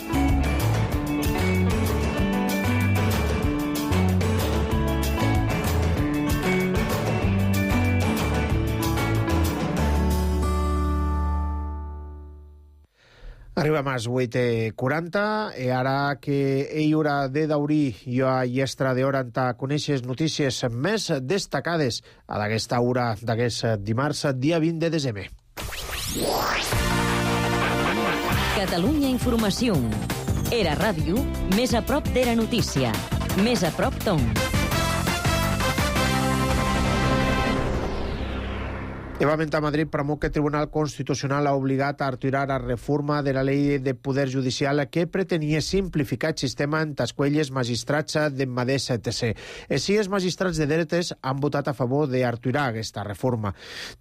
Arribem a les vuit i quaranta i ara que hi haurà de daurir jo a llestra d'hora en conèixer notícies més destacades a d'aquesta hora d'aquest dimarts, dia vint de desembre. Catalunya Informació. Era ràdio, més a prop d'Era Notícia. Més a prop Tom. Igualment a Madrid, promou que el Tribunal Constitucional ha obligat a retirar la reforma de la Llei de Poder Judicial que pretenia simplificar el sistema en tasquelles magistrats d'Emmadés T C. Així, els magistrats de dretes han votat a favor de retirar aquesta reforma.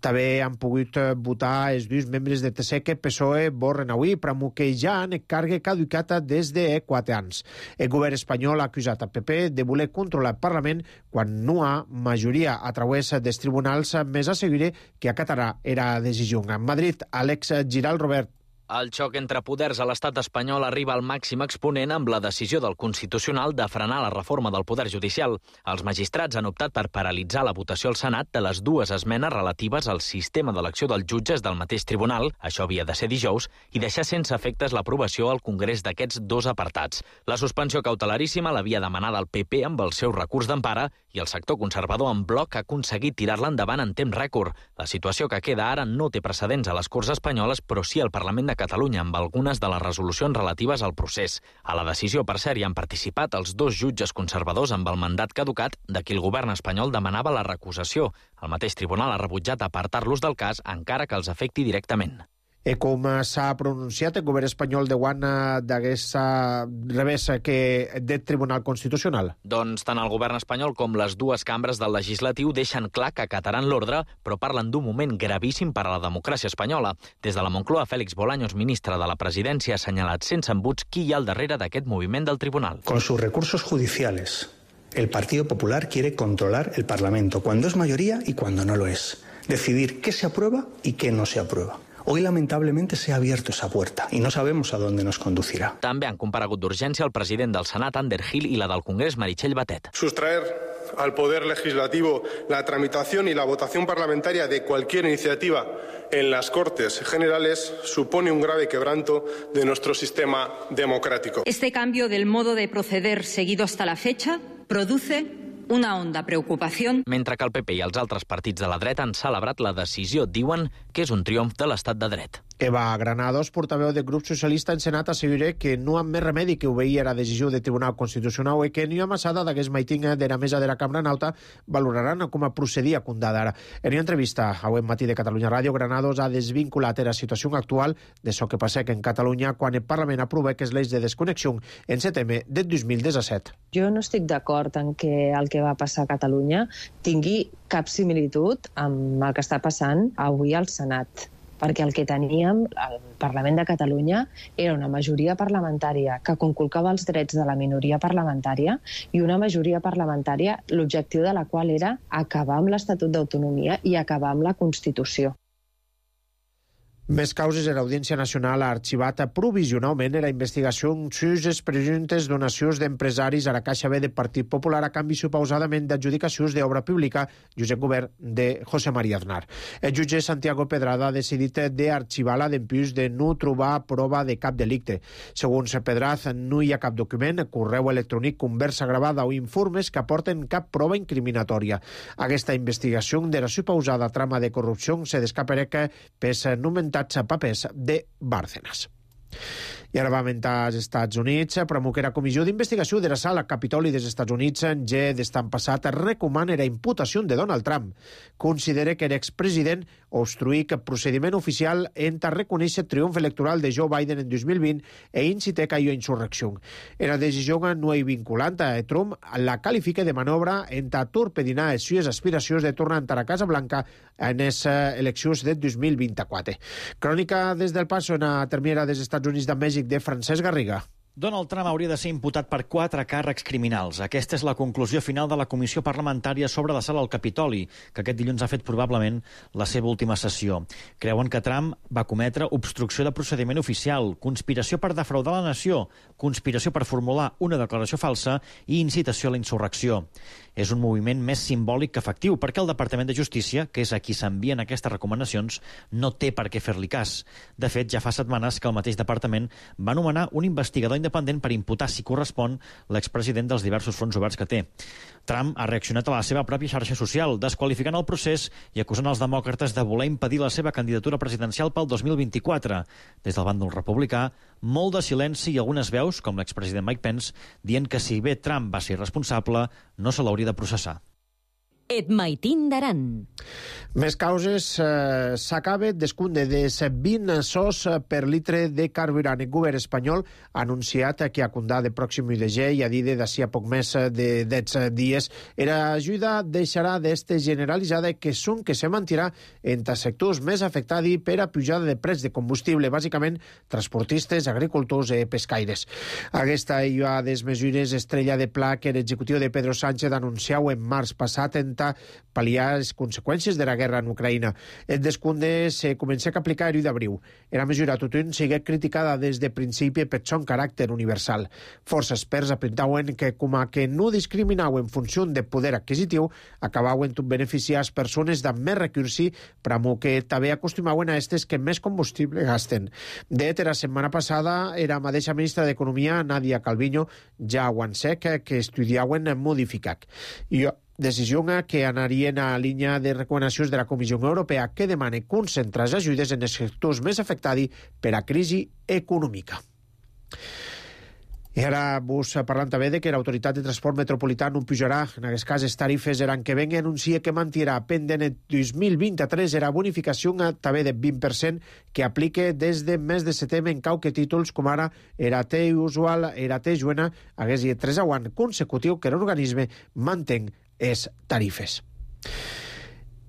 També han pogut votar els dos membres de T C que P S O E borren avui, promou que ja han càrrega caducata des de quatre anys. El govern espanyol ha acusat a P P de voler controlar el Parlament quan no ha majoria a través dels tribunals, més assegura que que acatarà era decisió. En Madrid, Àlex Giral, Robert. El xoc entre poders a l'estat espanyol arriba al màxim exponent amb la decisió del Constitucional de frenar la reforma del poder judicial. Els magistrats han optat per paralitzar la votació al Senat de les dues esmenes relatives al sistema d'elecció dels jutges del mateix tribunal, això havia de ser dijous, i deixar sense efectes l'aprovació al Congrés d'aquests dos apartats. La suspensió cautelaríssima l'havia demanada el P P amb el seu recurs d'empara i el sector conservador en bloc ha aconseguit tirar-la endavant en temps rècord. La situació que queda ara no té precedents a les Corts espanyoles, però sí al Parlament de Catalunya amb algunes de les resolucions relatives al procés. A la decisió, per cert, hi han participat els dos jutges conservadors amb el mandat caducat de qui el govern espanyol demanava la recusació. El mateix tribunal ha rebutjat apartar-los del cas encara que els afecti directament. I com s'ha pronunciat el govern espanyol de guant d'aquesta revés que del Tribunal Constitucional? Doncs tant el govern espanyol com les dues cambres del legislatiu deixen clar que acataran l'ordre, però parlen d'un moment gravíssim per a la democràcia espanyola. Des de la Moncloa, Félix Bolaños, ministre de la Presidència, ha assenyalat sense embuts qui hi ha al darrere d'aquest moviment del tribunal. Con sus recursos judiciales, el Partido Popular quiere controlar el Parlamento, cuando es mayoría y cuando no lo es. Decidir qué se aprueba y qué no se aprueba. Hoy, lamentablemente, se ha abierto esa puerta y no sabemos a dónde nos conducirá. També han comparegut d'urgència el president del Senat, Ander Gil, i la del Congrés, Meritxell Batet. Sustraer al Poder Legislativo la tramitación y la votación parlamentaria de cualquier iniciativa en las Cortes Generales supone un grave quebranto de nuestro sistema democrático. Este cambio del modo de proceder seguido hasta la fecha produce una honda preocupació. Mentre que el P P i els altres partits de la dreta han celebrat la decisió, diuen que és un triomf de l'estat de dret. Eva Granados, portaveu del grup socialista en Senat, assegura que no ha més remedi que obeir a la decisió del Tribunal Constitucional i que ni a massada d'aquest meiting de la mesa de la Cambra Nauta valoraran com a procedir a condadar. En una entrevista avui matí de Catalunya Ràdio, Granados ha desvinculat la situació actual de so que passa en Catalunya quan el Parlament aprova que és l'eix de desconnexió en setembre del dos mil disset. Jo no estic d'acord en que el que va passar a Catalunya tingui cap similitud amb el que està passant avui al Senat, perquè el que teníem al Parlament de Catalunya era una majoria parlamentària que conculcava els drets de la minoria parlamentària i una majoria parlamentària l'objectiu de la qual era acabar amb l'Estatut d'Autonomia i acabar amb la Constitució. Més causes, l'Audiència Nacional ha arxivat provisionalment la investigació sobre les presumptes donacions d'empresaris a la Caixa B del Partit Popular a canvi supausadament d'adjudicacions d'obra pública just en govern de José María Aznar. El jutge Santiago Pedrada ha decidit d'arxivar-la dempuix de no trobar prova de cap delicte. Segons Pedraz, no hi ha cap document, correu electrònic, conversa gravada o informes que aporten cap prova incriminatòria. Aquesta investigació de la supausada trama de corrupció se descaparà pels nomentats papers de Bárcenas. I ara va mentar als Estats Units, però que la Comissió d'Investigació de la Sala Capitoli dels Estats Units en G d'estan passat recomana la imputació de Donald Trump. Considera que l'expresident obstruïc procediment oficial enta reconèixer triomf electoral de Joe Biden en dos mil vint e incité a insurrecció. La decisió no és vinculant a Trump la qualifica de manobra enta torpedinar les seves aspiracions de tornar a la Casa Blanca en les eleccions de dos mil vint-i-quatre. Crònica des del Paso en la termiera dels Estats Units de Mèxic de Francesc Garriga. Donald Trump hauria de ser imputat per quatre càrrecs criminals. Aquesta és la conclusió final de la Comissió Parlamentària sobre la Sala al Capitoli, que aquest dilluns ha fet probablement la seva última sessió. Creuen que Trump va cometre obstrucció de procediment oficial, conspiració per defraudar la nació, conspiració per formular una declaració falsa i incitació a la insurrecció. És un moviment més simbòlic que efectiu, perquè el Departament de Justícia, que és a qui s'envien aquestes recomanacions, no té per què fer-li cas. De fet, ja fa setmanes que el mateix departament va nomenar un investigador independent per imputar, si correspon, l'expresident dels diversos fronts oberts que té. Trump ha reaccionat a la seva pròpia xarxa social, desqualificant el procés i acusant els demòcrates de voler impedir la seva candidatura presidencial pel dos mil vint-i-quatre. Des del bàndol republicà, molt de silenci i algunes veus, com l'expresident Mike Pence, dient que si bé Trump va ser irresponsable, no se l'hauria de processar. Et maitin d'aran. Més causes. Eh, S'acaba descompte de vint sos per litre de carburant. El govern espanyol ha anunciat que a condà de pròxim u de ge i a dir d'ací a poc més de deu dies era ajuda deixarà d'este generalitzada que són que se mantirà entre sectors més afectats per a pujada de prets de combustible, bàsicament transportistes, agricultors i pescaires. Aquesta i a des mesures estrella de pla que l'executiu de Pedro Sánchez anunciau en març passat en pal·liar les conseqüències de la guerra en Ucraïna. El descompte se comença a aplicar el u d'abril. La mesura tothom sigue criticada des de principi per son caràcter universal. Força experts apuntauen que, com a que no discriminau en funció de poder adquisitiu, acabauen beneficiar les persones amb més recursi, però que també acostumaven a estes que més combustible gasten. De la setmana passada, la mateixa ministra d'Economia, Nadia Calviño, ja ho han sec que estudiaven modificar. I decisió que anaria en la línia de recomanacions de la Comissió Europea que demana concentrar les ajudes en els sectors més afectats per la crisi econòmica. I ara vos parlant també de que l'Autoritat de Transport Metropolità no pujarà en aquest cas les tarifes l'any que venga, anuncia que mantirà pendent el dos mil vint-i-tres la bonificació també del vint per cent que aplica des de mes de setembre en cauque títols com ara era T usual, era T juena, hagués i tres anys consecutiu que l'organisme mantén les tarifes.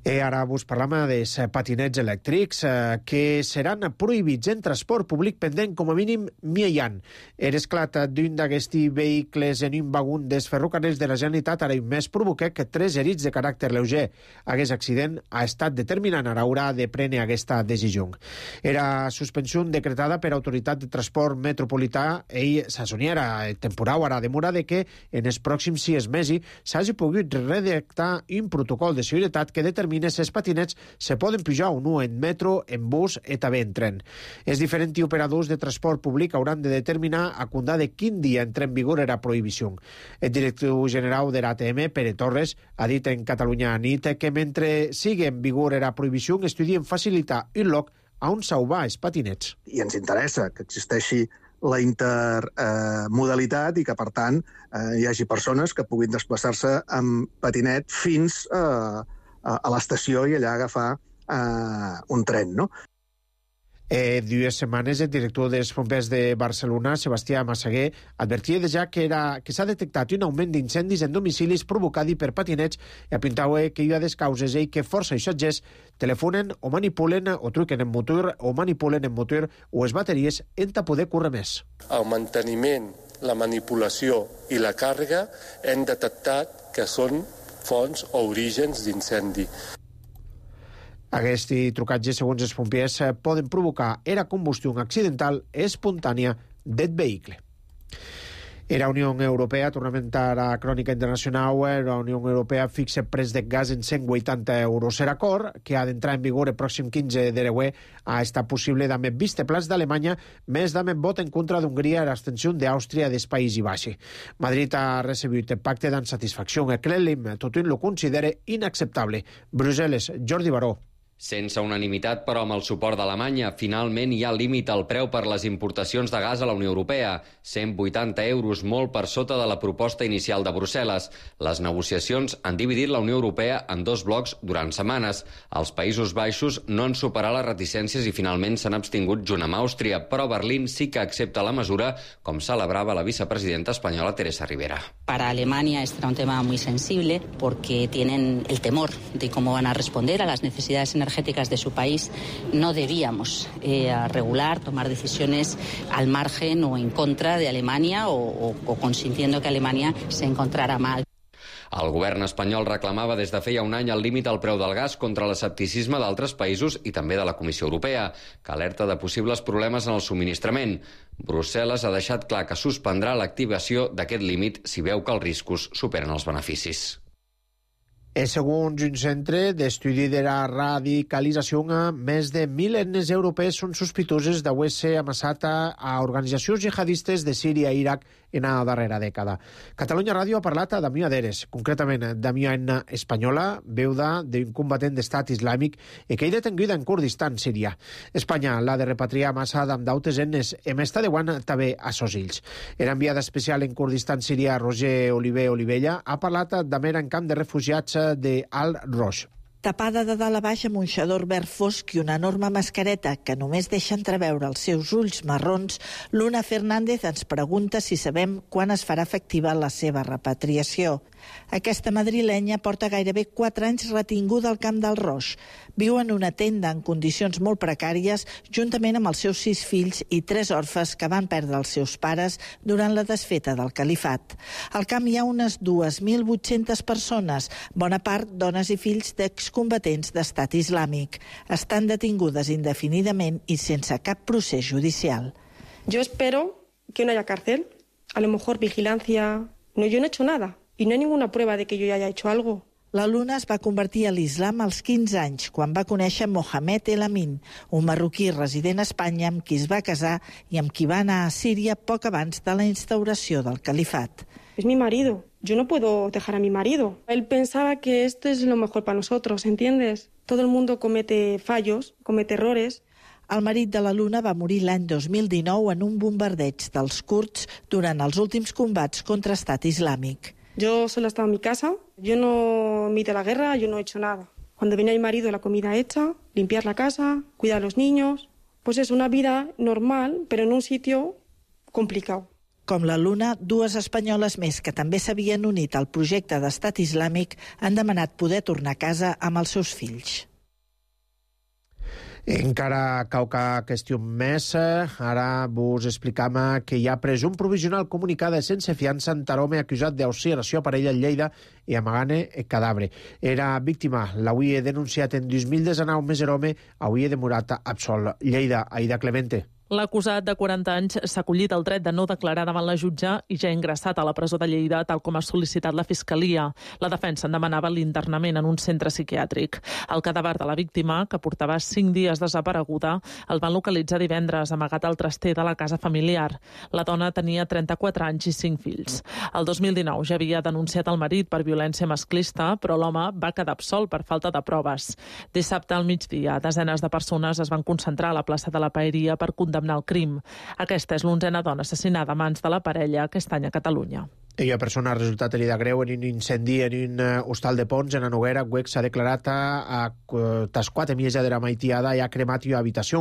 I ara vos parlam dels patinets elèctrics eh, que seran prohibits en transport públic pendent com a mínim mil anys. L'esclat d'un d'aquests vehicles en un vagón dels ferrocarrils de la Generalitat ara un mes provoca que tres herits de caràcter lleuger. Aquest accident ha estat determinant a l'hora de prendre aquesta decisió. Era suspensió decretada per Autoritat de Transport Metropolità i s'assoniera temporal ara demora de que en els pròxims sis mesos s'hagi pogut redactar un protocol de seguretat que determina els patinets se poden pujar o no en metro, en bus i també en tren. Els diferents operadors de transport públic hauran de determinar a condà de quin dia entra en vigor la prohibició. El director general de l'A T M, Pere Torres, ha dit en Catalunya Nit que mentre sigui en vigor la prohibició estudien facilitar un lloc on salvar els patinets. I ens interessa que existeixi la intermodalitat eh, i que, per tant, eh, hi hagi persones que puguin desplaçar-se amb patinet fins a eh, a l'estació i allà agafar uh, un tren, no? Eh, dues setmanes el director dels bombers de Barcelona, Sebastià Massaguer, advertia ja que, era, que s'ha detectat un augment d'incendis en domicilis provocat per patinets i apuntava que hi ha des causes i que força viatgers telefonen o manipulen o truquen en motor o manipulen en motor o les bateries en ta poder córrer més. El manteniment, la manipulació i la càrrega hem detectat que són fonts o orígens d'incendi. Aquests trucatges, segons els pompiers, poden provocar la combustió accidental espontània del vehicle. La Unió Europea, tornament a la crònica internacional, la Unió Europea fixa preu de gas en cent vuitanta euros. L'acord, que ha d'entrar en vigor el pròxim quinze de l'E U E, ha estat possible amb el vistiplau d'Alemanya, més amb el vot en contra d'Hongria i l'abstenció d'Àustria dels Països Baixos. Madrid ha recebut el pacte d'insatisfacció. El Kremlin tothom lo considera inacceptable. Brussel·les, Jordi Baró. Sense unanimitat, però amb el suport d'Alemanya, finalment hi ha límit al preu per les importacions de gas a la Unió Europea, cent vuitanta euros, molt per sota de la proposta inicial de Brussel·les. Les negociacions han dividit la Unió Europea en dos blocs durant setmanes. Els Països Baixos no han superat les reticències i finalment s'han abstingut junt amb Àustria, però Berlín sí que accepta la mesura, com celebrava la vicepresidenta espanyola Teresa Rivera. Para Alemania este era un tema muy sensible porque tienen el temor de cómo van a responder a las necesidades energéticas energéticas de su país. No debíamos eh, regular, tomar decisiones al margen o en contra de Alemania o, o, o consintiendo que Alemania se encontrara mal. El govern espanyol reclamava des de feia un any el límit al preu del gas contra l'escepticisme d'altres països i també de la Comissió Europea, que alerta de possibles problemes en el subministrament. Brussel·les ha deixat clar que suspendrà l'activació d'aquest límit si veu que els riscos superen els beneficis. E segons un centre d'estudi de la radicalització, més de mil etnes europees són sospitoses d'haver-se amassat a organitzacions jihadistes de Síria i Iraq en la darrera dècada. Catalunya Ràdio ha parlat a Damià Deres, concretament Damià etna espanyola, viuda d'un combatent d'estat islàmic i que hi detenguda en Kurdistan, Síria. Espanya l'ha de repatriar massa amb dautes etnes i més tardeuant també a sos ills. Era enviada especial en Kurdistan, Síria, Roger Oliver Olivella, ha parlat també en camp de refugiats de Al-Rosh. Tapada de dalt a baix amb un xador verd fosc i una enorme mascareta que només deixa entreveure els seus ulls marrons, Luna Fernández ens pregunta si sabem quan es farà efectiva la seva repatriació. Aquesta madrilenya porta gairebé quatre anys retinguda al camp del Roix. Viu en una tenda en condicions molt precàries, juntament amb els seus sis fills i tres orfes que van perdre els seus pares durant la desfeta del califat. Al camp hi ha unes dues mil vuit-centes persones, bona part dones i fills d'excombatents d'estat islàmic. Estan detingudes indefinidament i sense cap procés judicial. Yo espero que no haya cárcel, a lo mejor vigilancia. No, yo no he hecho nada. I no hi ha ninguna prueba de que yo haya hecho algo. La Luna es va convertir a l'islam als quinze anys, quan va conèixer Mohamed El Amin, un marroquí resident a Espanya amb qui es va casar i amb qui va anar a Síria poc abans de la instauració del califat. Es mi marido. Yo no puedo dejar a mi marido. Él pensaba que esto es lo mejor para nosotros, ¿entiendes? Todo el mundo comete fallos, comete errores. El marit de la Luna va morir l'any dos mil dinou en un bombardeig dels kurds durant els últims combats contra Estat Islàmic. Yo solo estaba en mi casa, yo no me he ido a la guerra, yo no he hecho nada. Cuando venía mi marido, la comida hecha, limpiar la casa, cuidar a los niños. Pues es una vida normal, pero en un sitio complicado. Com la Luna, dues espanyoles més que també s'havien unit al projecte d'Estat Islàmic han demanat poder tornar a casa amb els seus fills. Encara cauca qüestió més, ara vos explicam que hi ha presum provisional comunicada sense fiança en Tarome acusat d'auxiliació a parella en Lleida i amagant cadàver. Era víctima, l'avui denunciat en dos mil dinou més home, avui demorat absolt. Lleida, Aida Clemente. L'acusat de quaranta anys s'ha acollit el dret de no declarar davant la jutge i ja ha ingressat a la presó de Lleida, tal com ha sol·licitat la Fiscalia. La defensa en demanava l'internament en un centre psiquiàtric. El cadàver de la víctima, que portava cinc dies desapareguda, el van localitzar divendres amagat al traster de la casa familiar. La dona tenia trenta-quatre anys i cinc fills. El dos mil dinou ja havia denunciat el marit per violència masclista, però l'home va quedar absolt per falta de proves. Dissabte al migdia, desenes de persones es van concentrar a la plaça de la Paeria per condemnar el crim. Aquesta és l'onzena dona assassinada a mans de la parella aquest any a Catalunya. Una persona ha resultat herida greu en un incendi en un hostal de Pons, en la Noguera. Güec s'ha declarat a tas quatre miesa de la maitiada i ha cremat una habitació.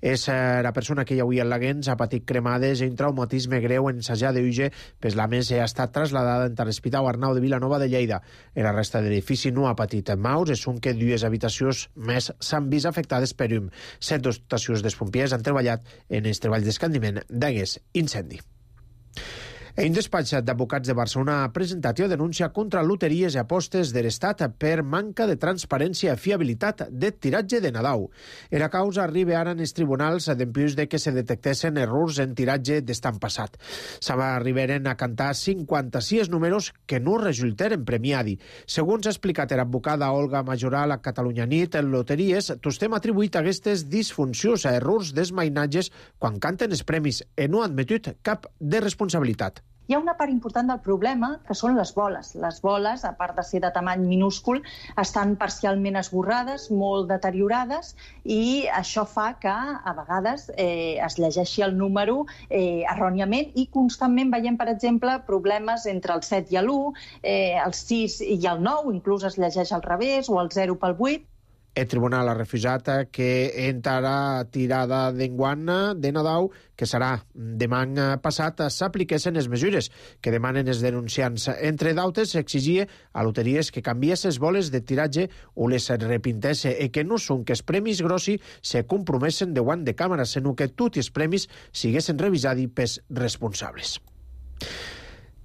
És la persona que hi havia en l'Aguens, ha patit cremades i un traumatisme greu en Sajà de Uge, pues la més ha estat trasladada en l'Hospital Arnau de Vilanova de Lleida. En la resta de l'edifici no ha patit maus, és un que dues habitacions més s'han vist afectades per un. Set dotacions dels pompiers han treballat en els treballs d'escandiment d'aquest incendi. Un despatx d'advocats de Barcelona ha presentat una denúncia contra loteries i apostes de l'Estat per manca de transparència i fiabilitat de tiratge de Nadal. La causa arriba ara en els tribunals dempués de que se detectessin errors en tiratge d'estan passat. S'arribaren a cantar cinquanta-sis números que no resultaren premiadi. Segons ha explicat l'advocada Olga Majoral a Catalunya Nit, en loteries tostem atribuït aquestes disfuncions a errors dels mainatges quan canten els premis i no han admetut cap de responsabilitat. Hi ha una part important del problema, que són les boles. Les boles, a part de ser de tamany minúscul, estan parcialment esborrades, molt deteriorades, i això fa que, a vegades, eh, es llegeixi el número eh, erròniament, i constantment veiem, per exemple, problemes entre el set i l'u, eh, el sis i el nou, inclús es llegeix al revés, o el zero pel vuit. El tribunal ha refusat que entrarà tirada d'enguany de Nadal, que serà demà passat, s'apliquessin les mesures que demanen els denunciants. Entre d'altres, s'exigia a loteries que canviés les boles de tiratge o les repintesse, i que no són que els premis grossi se compromessen davant de càmera, sinó que tots els premis siguessin revisats pels responsables.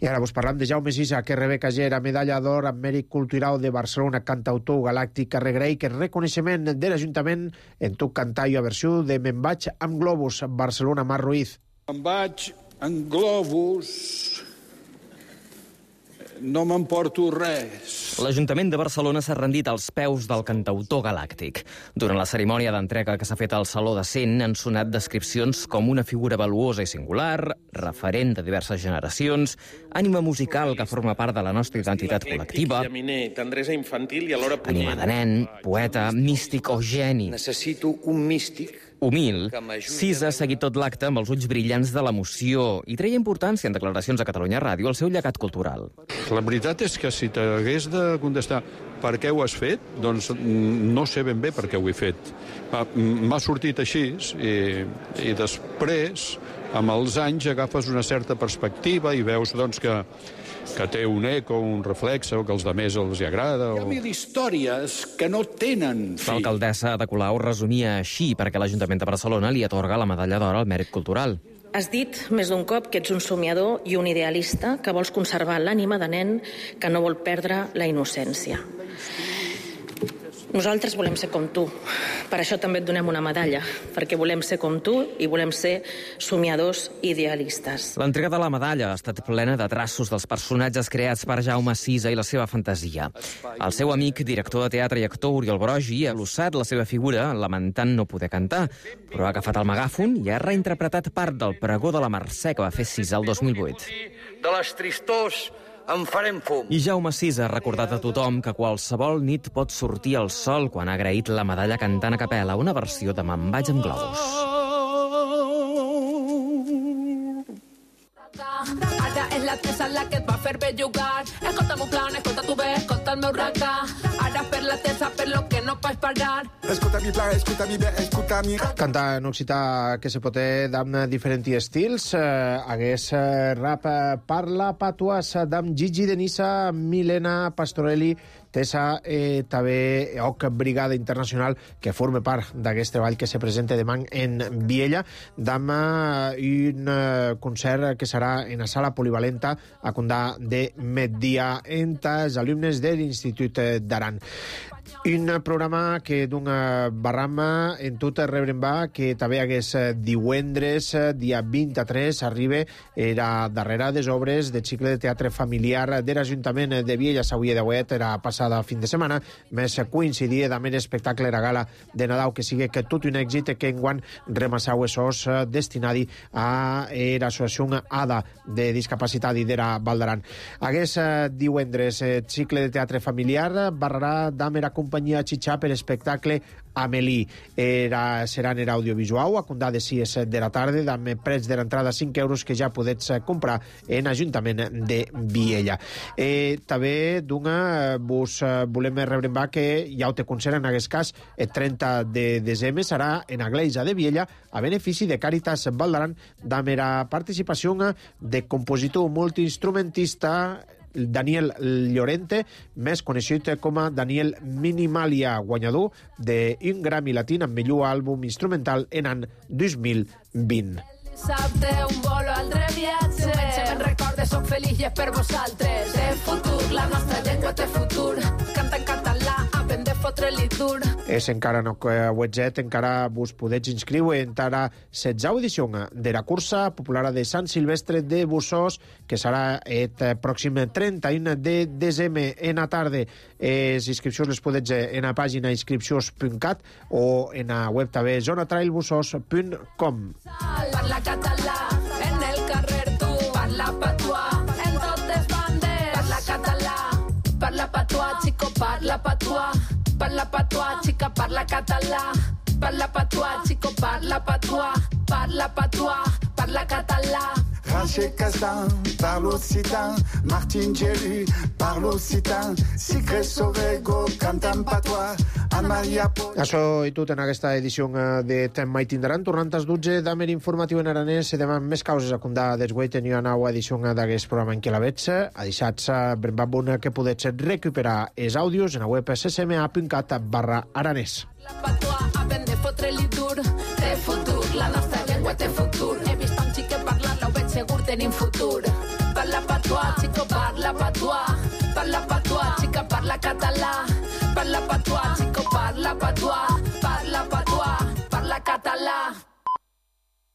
I ara vos parlam de Jaume Sisa, que rebé cagera medalla d'or amb mèrit cultural de Barcelona, cantautor galàctic, regraïc el reconeixement de l'Ajuntament en tot cantar i a versió de Me'n vaig amb globus, Barcelona, Mar Ruiz. Me'n vaig amb globus, no m'emporto res. L'Ajuntament de Barcelona s'ha rendit als peus del cantautor galàctic. Durant la cerimònia d'entrega que s'ha fet al Saló de Cent han sonat descripcions com una figura valuosa i singular, referent de diverses generacions, ànima musical que forma part de la nostra identitat col·lectiva, tendresa infantil i alhora punyent. ànima de nen, poeta, místic o geni. Necessito un místic. Humil, Sisa ha seguit tot l'acte amb els ulls brillants de l'emoció i treia importància en declaracions a Catalunya Ràdio al seu llegat cultural. La veritat és que si t'hagués de contestar per què ho has fet, doncs no sé ben bé per què ho he fet. M'ha sortit així i, i després, amb els anys, agafes una certa perspectiva i veus doncs, que que té un eco, un reflex, o que als altres els hi agrada. O... Hi ha mil històries que no tenen fi. L'alcaldessa de Colau resumia així perquè l'Ajuntament de Barcelona li atorga la medalla d'or al mèrit cultural. Has dit més d'un cop que ets un somiador i un idealista que vols conservar l'ànima de nen que no vol perdre la innocència. Nosaltres volem ser com tu. Per això també et donem una medalla, perquè volem ser com tu i volem ser somiadors idealistes. L'entrega de la medalla ha estat plena de traços dels personatges creats per Jaume Sisa i la seva fantasia. El seu amic, director de teatre i actor, Oriol Brogi, ha glossat la seva figura lamentant no poder cantar, però ha agafat el megàfon i ha reinterpretat part del pregó de la Mercè que va fer Sisa el dos mil vuit. De les tristors en farem fum. I Jaume Sisa ha recordat a tothom que qualsevol nit pot sortir el sol quan ha agraït la medalla cantant a capella, una versió de Me'n vaig amb globus. Ara és la tesa la que et va fer bellugar. Escolta mon plan, escolta tu bé, escolta el meu raca. Ara per la tesa, per lo que no pots parar. Escolta mi plan, escolta mi bé, escolta mi... Cantar en occità que se pot d'amb diferents estils. Eh, hagués eh, rap eh, parla patuàs d'amb Gigi Denissa, Milena Pastorelli, Tessa eh, també Oc Brigada Internacional, que forma part d'aquest treball que se presenta demà en Viella, d'amb eh, un eh, concert que serà en la sala polivalenta a Condà de migdia entre els alumnes de l'Institut d'Aran. Un programa que d'un barrama en tot rebrem va, que també hagués divendres, dia vint-i-tres, arriba era darrere des obres del cicle de teatre familiar de l'Ajuntament de Viella. S'havia d'avui, era passada fin de setmana, més coincidia també l'espectacle de la gala de Nadal, que sigui que tot un èxit que enguany remassau esos destinadi a l'associació A D A de discapacitat i d'era Valdaran. Hagués divendres cicle de teatre familiar, barrarà d'amera companyia Xitxà per espectacle Amélie. Era, serà en audiovisual, a comptar de sis de la tarda, amb preus de l'entrada cinc euros que ja podets comprar en Ajuntament de Viella. Eh, també, d'una, vos volem rebrembar que ja ho te concert en aquest cas el trenta de desembre serà en la Gleisa de Viella a benefici de Càritas Valdaran, amb la participació de compositor multiinstrumentista Daniel Llorente, més coneixut com a Daniel Minimalia, guanyador d'un Grammy Latí amb millor àlbum instrumental en l'any dos mil vint. Dissabte, un bolo al reviatge. Diumenge me'n recorde, soc feliç i és per vosaltres. Té futur, la nostra llengua té futur. Canta en català, havent de fotre-li dur. És encara no webjet, encara vos podeu inscriure en la setzena edició de la cursa popular de Sant Silvestre de Bussós, que serà el pròxim trenta i u de desembre en la tarda. Les inscripcions les podeu en la pàgina inscripcions punt cat o en la web també zona trail bussós punt com. Parla català, en el carrer tu, parla patuà. patuà, parla patuà, xica, parla català. Parla patuà, xico, parla patuà, parla patuà, parla català. Roger Casdan, parle occitan, Martin Gélu, parle occitan, Sigre Sovego, cantant patuà, Anne-Maria Pol... Això i tot en aquesta edició de Tem mai tindran. Tornant als dotze d'Amer informatiu en aranès, se deman més causes a condar desguai tenia una nova edició d'aquest programa en què la veig. A deixats brembabuna que podets recuperar els àudios en la web ccma.cat barra aranès. La patuà, aprende fotre-li dur, té futur, la nostra llengua té futur. He vist un xic que parlar, ho veig segur, tenim futur. Parla patuà, xico, parla patuà.